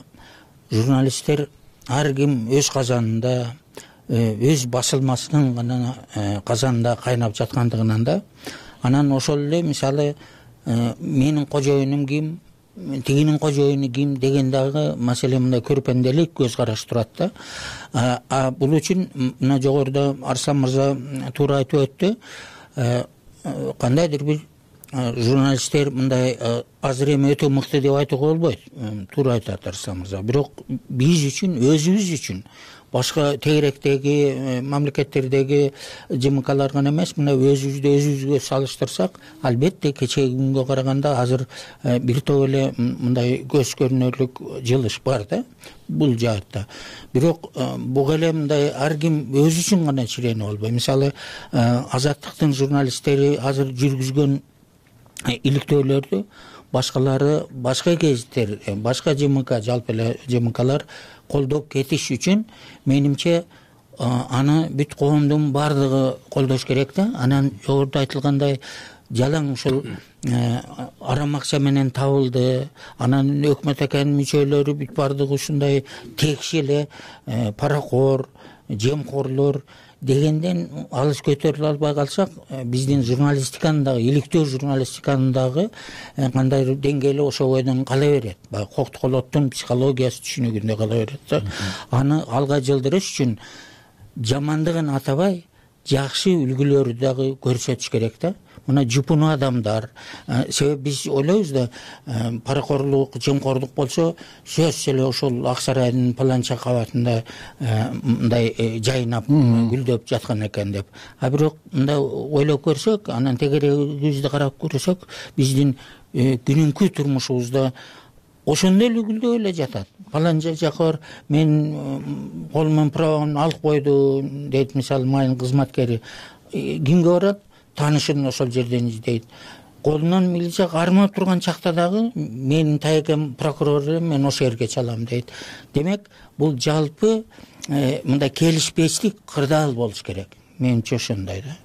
журналисттер ар ким өз казанында, өз басылмасынын гана казанында кайнап жаткандыгынан да, анан ошол эле мисалы менин кожоюнум ким, тигинин кожоюну ким деген дагы маселе мындай көрпенделик көз караш турат да. А бул үчүн мына жогоруда Арслан мырза туура айтып өттү. Кандайдыр бир журналисттер мындай азыр эми өтө мыкты деп айтууга болбойт. Туура айтат Арслан мырза. Бирок биз үчүн, өзүбүз үчүн, башка тегеректеги мамлекеттердеги ЖМКлар гана эмес, мына өзүбүздү өзүбүзгө салыштырсак, албетте кечеги күнгө караганда азыр бир топ эле мындай көз көрүнөрлүк жылыш бар да бул жаатта. Бирок буга эле мындай ар ким өзү үчүн гана чирени болбой. Мисалы, Азаттыктын журналисттери азыр жүргүзгөн иликтөөлөрдү башкалары, башка гезиттер, башка ЖМК, жалпы эле ЖМКлар колдоп кетиш үчүн менимче аны бүт коомдун баардыгы колдош керек да. Анан жогоруда айтылгандай жалаң ушул арам акча менен табылды, анан өкмөт экенин мүчөлөрү бүт баардыгы ушундай текши эле паракор, жемкорлор дегенден алыс көтөрүлө албай калсак, биздин журналистиканын дагы, иликтөө журналистиканын дагы кандайдыр деңгээли ошол бойдон кала берет. Баягы коктуколоттун психологиясы түшүнүгүндө кала берет да. Аны алга жылдырыш үчүн жамандыгын атабай, жакшы үлгүлөрдү дагы көрсөтүш керек да. мына жупуну адамдар. Себеби биз ойлойбуз да, паракорлук, жемкорлук болсо сөзсүз эле ошол Ак Сарайдын паланча кабатында мындай жайнап гүлдөп жаткан экен деп. А бирок мындай ойлоп көрсөк, анан тегерегибизди карап көрсөк, биздин күнүнкү турмушубузда ошондой эле гүлдөп эле жатат. Паланча жакор мен колуман правамды алып койду дейт, мисалы майын кызматкери. Кимге барат? Таанышын ошол жерден издейт. Колунан милиция кармап турган чакта дагы менин тайекем прокурор элем, мен ошол жерге чалам дейт. Демек, бул жалпы мындай келишпестик кырдаал болуш керек. Менимче ошондой да.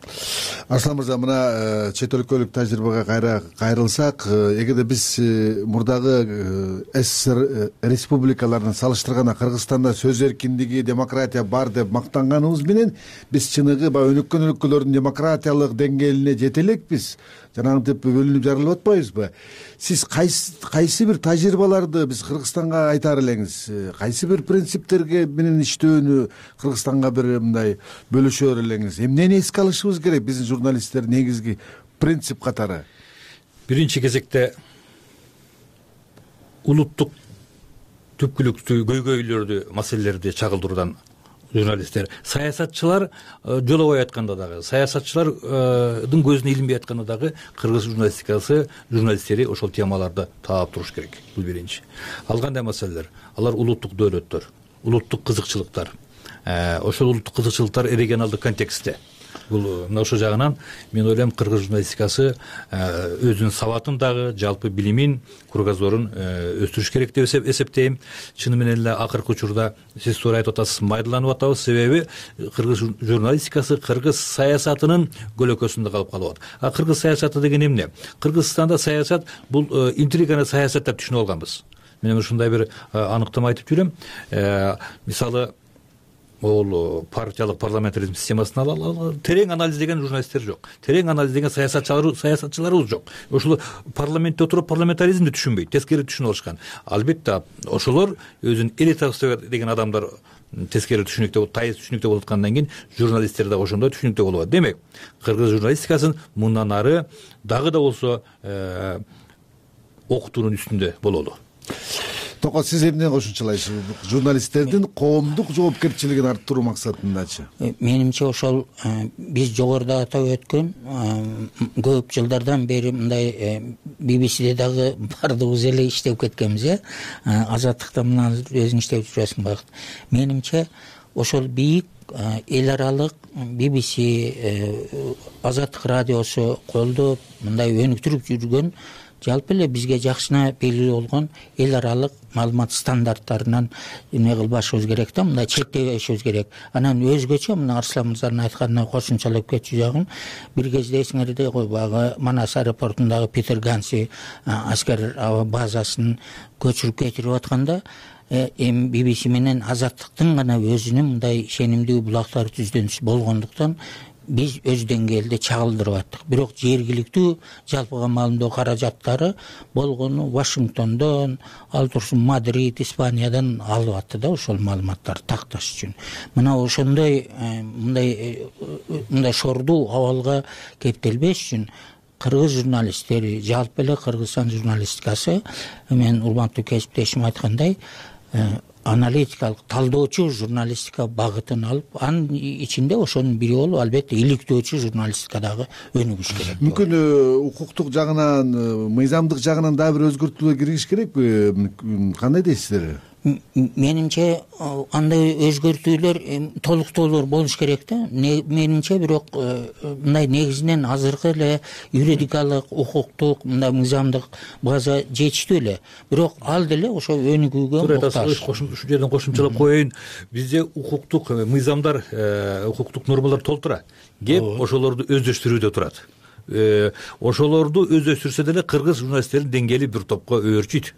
Арслан мырза, мына чет өлкөлүк тажрыйбага кайра кайрылсак, эгерде биз мурдагы СССР республикаларын салыштырганда Кыргызстанда сөз эркиндиги, демократия бар деп мактанганыбыз менен биз чыныгы баягы өнүккөн өлкөлөрдүн демократиялык деңгээлине жете элекпиз. Жанагынтип бөлүнүп жарылып атпайбызбы? Сиз кайсы кайсы бир тажрыйбаларды биз Кыргызстанга айтар элеңиз? Кайсы бир принциптерге менен иштөөнү Кыргызстанга бир мындай бөлүшөр элеңиз? Эмнени эске алышыбыз керек биздин журналисттер негизги принцип катары? Биринчи кезекте улуттук түпкүлүктүү көйгөйлөрдү, маселелерди чагылдыруудан журналисттер, саясатчылар жолобой айтканда дагы, саясатчылардын көзүнө илинбей айтканда дагы кыргыз журналистикасы, журналисттери ошол темаларды таап туруш керек. Бул биринчи. Ал кандай маселелер? Алар улуттук дөөлөттөр, улуттук кызыкчылыктар. Ошол улуттук кызыкчылыктар регионалдык контекстте. Бул мына ошол жагынан мен ойлойм кыргыз журналистикасы өзүнүн сабатын дагы, жалпы билимин, кругозорун өстүрүш керек деп эсептейм. Чыны менен эле акыркы учурда сиз туура айтып атасыз, майдаланып атабыз, себеби кыргыз журналистикасы кыргыз саясатынын көлөкөсүндө калып калып атат. А кыргыз саясаты деген эмне? Кыргызстанда саясат бул интриганы саясат деп түшүнүп алганбыз. Мен ушундай бир аныктама айтып жүрөм. Мисалы, ол партиялык парламентаризм системасын алалы, терең анализ деген журналисттер жок. Терең анализ деген саясатчылар, саясатчыларыбыз жок. Ошол парламентте отуруп парламентаризмди түшүнбөйт, тескери түшүнүп алышкан. Албетте, ошолор өзүн элита деген адамдар тескери түшүнүктө, тайыз түшүнүктө болуп аткандан кийин журналисттер да ошондой түшүнүктө болот. Демек, кыргыз журналистикасын мындан ары дагы да болсо окутуунун үстүндө бололу. Токо, сиз эмне кошумчалайсыз? Журналисттердин коомдук жоопкерчилигин арттыруу максатындачы? Менимче ошол биз жогоруда атап өткөн көп жылдардан бери мындай би би сиде дагы баардыгыбыз эле иштеп кеткенбиз, э? Азаттыкта мына өзүң иштеп жүрөсүң багыт. Менимче ошол бийик эл аралык би би си Азаттык радиосу колдоп мындай өнүктүрүп жүргөн, жалпы эле бизге жакшына белгилүү болгон эл аралык маалымат стандарттарынан эмне кылбашыбыз керек да, мындай чектебешибиз керек. Анан өзгөчө мына Арслан мырзанын айтканына кошумчалап кетчү жагым, бир кезде эсиңерде кой, баягы Манас аэропортундагы Питер Ганси аскер аба базасын көчүрүп кетирип атканда, эми би би си менен Азаттыктын гана өзүнүн мындай ишенимдүү булактар түздөнүшү болгондуктан биз өз деңгээлде чагылдырып аттык. Бирок жергиликтүү жалпыга маалымдоо каражаттары болгону Вашингтондон, ал турсун Мадрид, Испаниядан алып атты да ошол маалыматтарды такташ үчүн. Мына ошондой мындай мындай шордуу абалга кептелбеш үчүн кыргыз журналисттери, жалпы эле Кыргызстан журналистикасы, мен урматтуу кесиптешим айткандай, аналитикалык талдоочу журналистика багытын алып, анын ичинде ошонун бири болуп, албетте иликтөөчү журналистика дагы өнүгүш керек. Мүмкүн укуктук жагынан, мыйзамдык жагынан дагы бир өзгөртүүлөр киргизиш керекпи? Кандай дейсиздер? Менимче андай өзгөртүүлөр, толуктоолор болуш керек да. Менимче бирок мындай негизинен азыркы эле юридикалык, укуктук, мындай мыйзамдык база жетиштүү эле. Бирок ал деле ошо өнүгүүгө муктаж. Ушул жерден кошумчалап коеюн. Бизде укуктук мыйзамдар, укуктук нормалар толтура. Кеп ошолорду өздөштүрүүдө турат. Ошолорду өздөштүрсө деле кыргыз журналисттердин деңгээли бир топко өөрчүйт.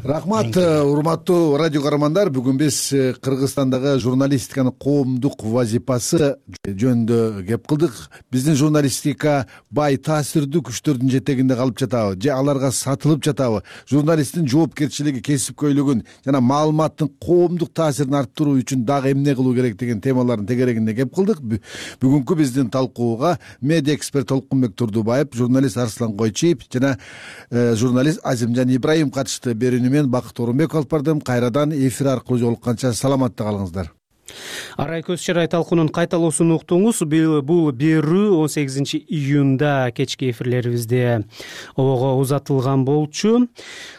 Рахмат, урматтуу радио каармандар. Бүгүн биз Кыргызстандагы журналистиканын коомдук вазифасы жөнүндө кеп кылдык. Биздин журналистика бай таасирдүү күчтөрдүн жетегинде калып жатабы же аларга сатылып жатабы? Журналисттин жоопкерчилиги, кесипкөйлүгүн жана маалыматтын коомдук таасирин арттыруу үчүн дагы эмне кылуу керек деген темалардын тегерегинде кеп кылдык. Бүгүнкү биздин талкууга медиа эксперт Толкунбек Турдубаев, журналист Арслан Койчиев жана журналист Азимжан Ибраим катышты. Берүүнү мен Бакыт Орунбеков алып бардым. Кайрадан эфир аркылуу жолукканча саламатта калыңыздар. Арай көз чарай талкуунун кайталоосун уктуңуз. Бул берүү он сегизинчи июнда кечки эфирлерибизде ого узатылган болчу.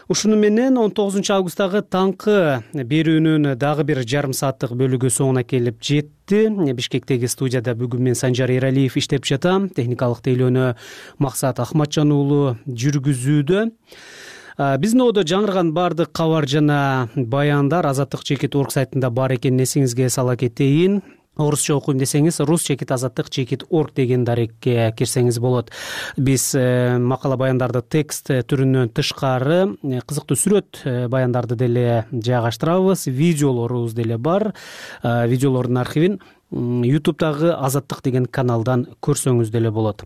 Ушуну менен он тогузунчу августтагы таңкы берүүнүн дагы бир жарым сааттык бөлүгү соңуна келип жетти. Бишкектеги студияда бүгүн мен Санжар Эралиев иштеп жатам. Техникалык тейлөөнү Максат Ахматжан уулу жүргүзүүдө. Биздин одо жаңырган баардык кабар жана баяндар азаттык чекит орг сайтында бар экенин эсиңизге сала кетейин. Орусча окуйм десеңиз рус чекит азаттык чекит орг деген дарекке кирсеңиз болот. Биз макала баяндарды текст түрүнөн тышкары кызыктуу сүрөт баяндарды деле жайгаштырабыз. Видеолорубуз деле бар. Видеолордун архивин ютубтагы Азаттык деген каналдан көрсөңүз деле болот.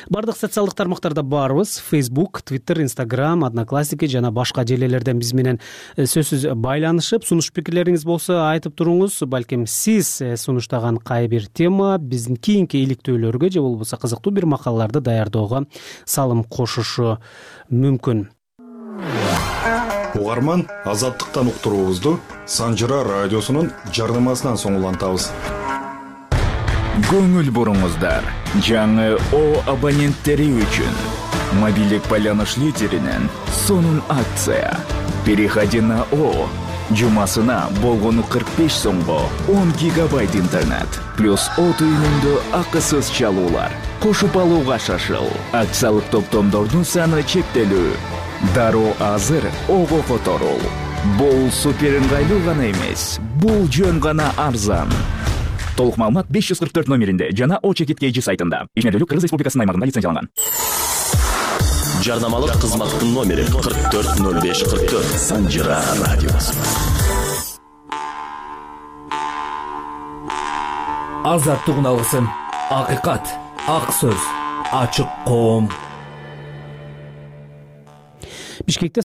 Бардык социалдык тармактарда барбыз. Facebook, Twitter, Instagram, Одноклассники жана башка желелерден биз менен сөзсүз байланышып, сунуш пикирлериңиз болсо айтып туруңуз. Балким сиз сунуштаган кай бир тема биздин кийинки иликтөөлөргө же болбосо кызыктуу бир макалаларды даярдоого салым кошушу мүмкүн. Угарман, Азаттыктан уктуруубузду Санжыра радиосунун жардамасынан соң улантабыз. Көңүл буруңуздар. Жаңы О абоненттери үчүн мобилдик байланыш лидеринен сонун акция. Переходи на О. Жумасына болгону кырк беш сомго он гигабайт интернет плюс О түйүнүндө акысыз чалуулар. Кошуп алууга шашыл. Акциялык топтомдордун саны чектелүү. Дароо азыр Ого которул. Бул супер ыңгайлуу гана эмес, бул жөн гана арзан. Толук маалымат беш жүз кырк төрт номеринде жана О чекит кей жи сайтында. Ишмердүүлүк Кыргыз Республикасынын аймагында лицензияланган. Жарнамалык кызматтын номери кырк төрт ноль беш кырк төрт. Санжыра радиосу. Азаттык алгысын. Акыйкат, ак сөз, ачык коом. Бишкекте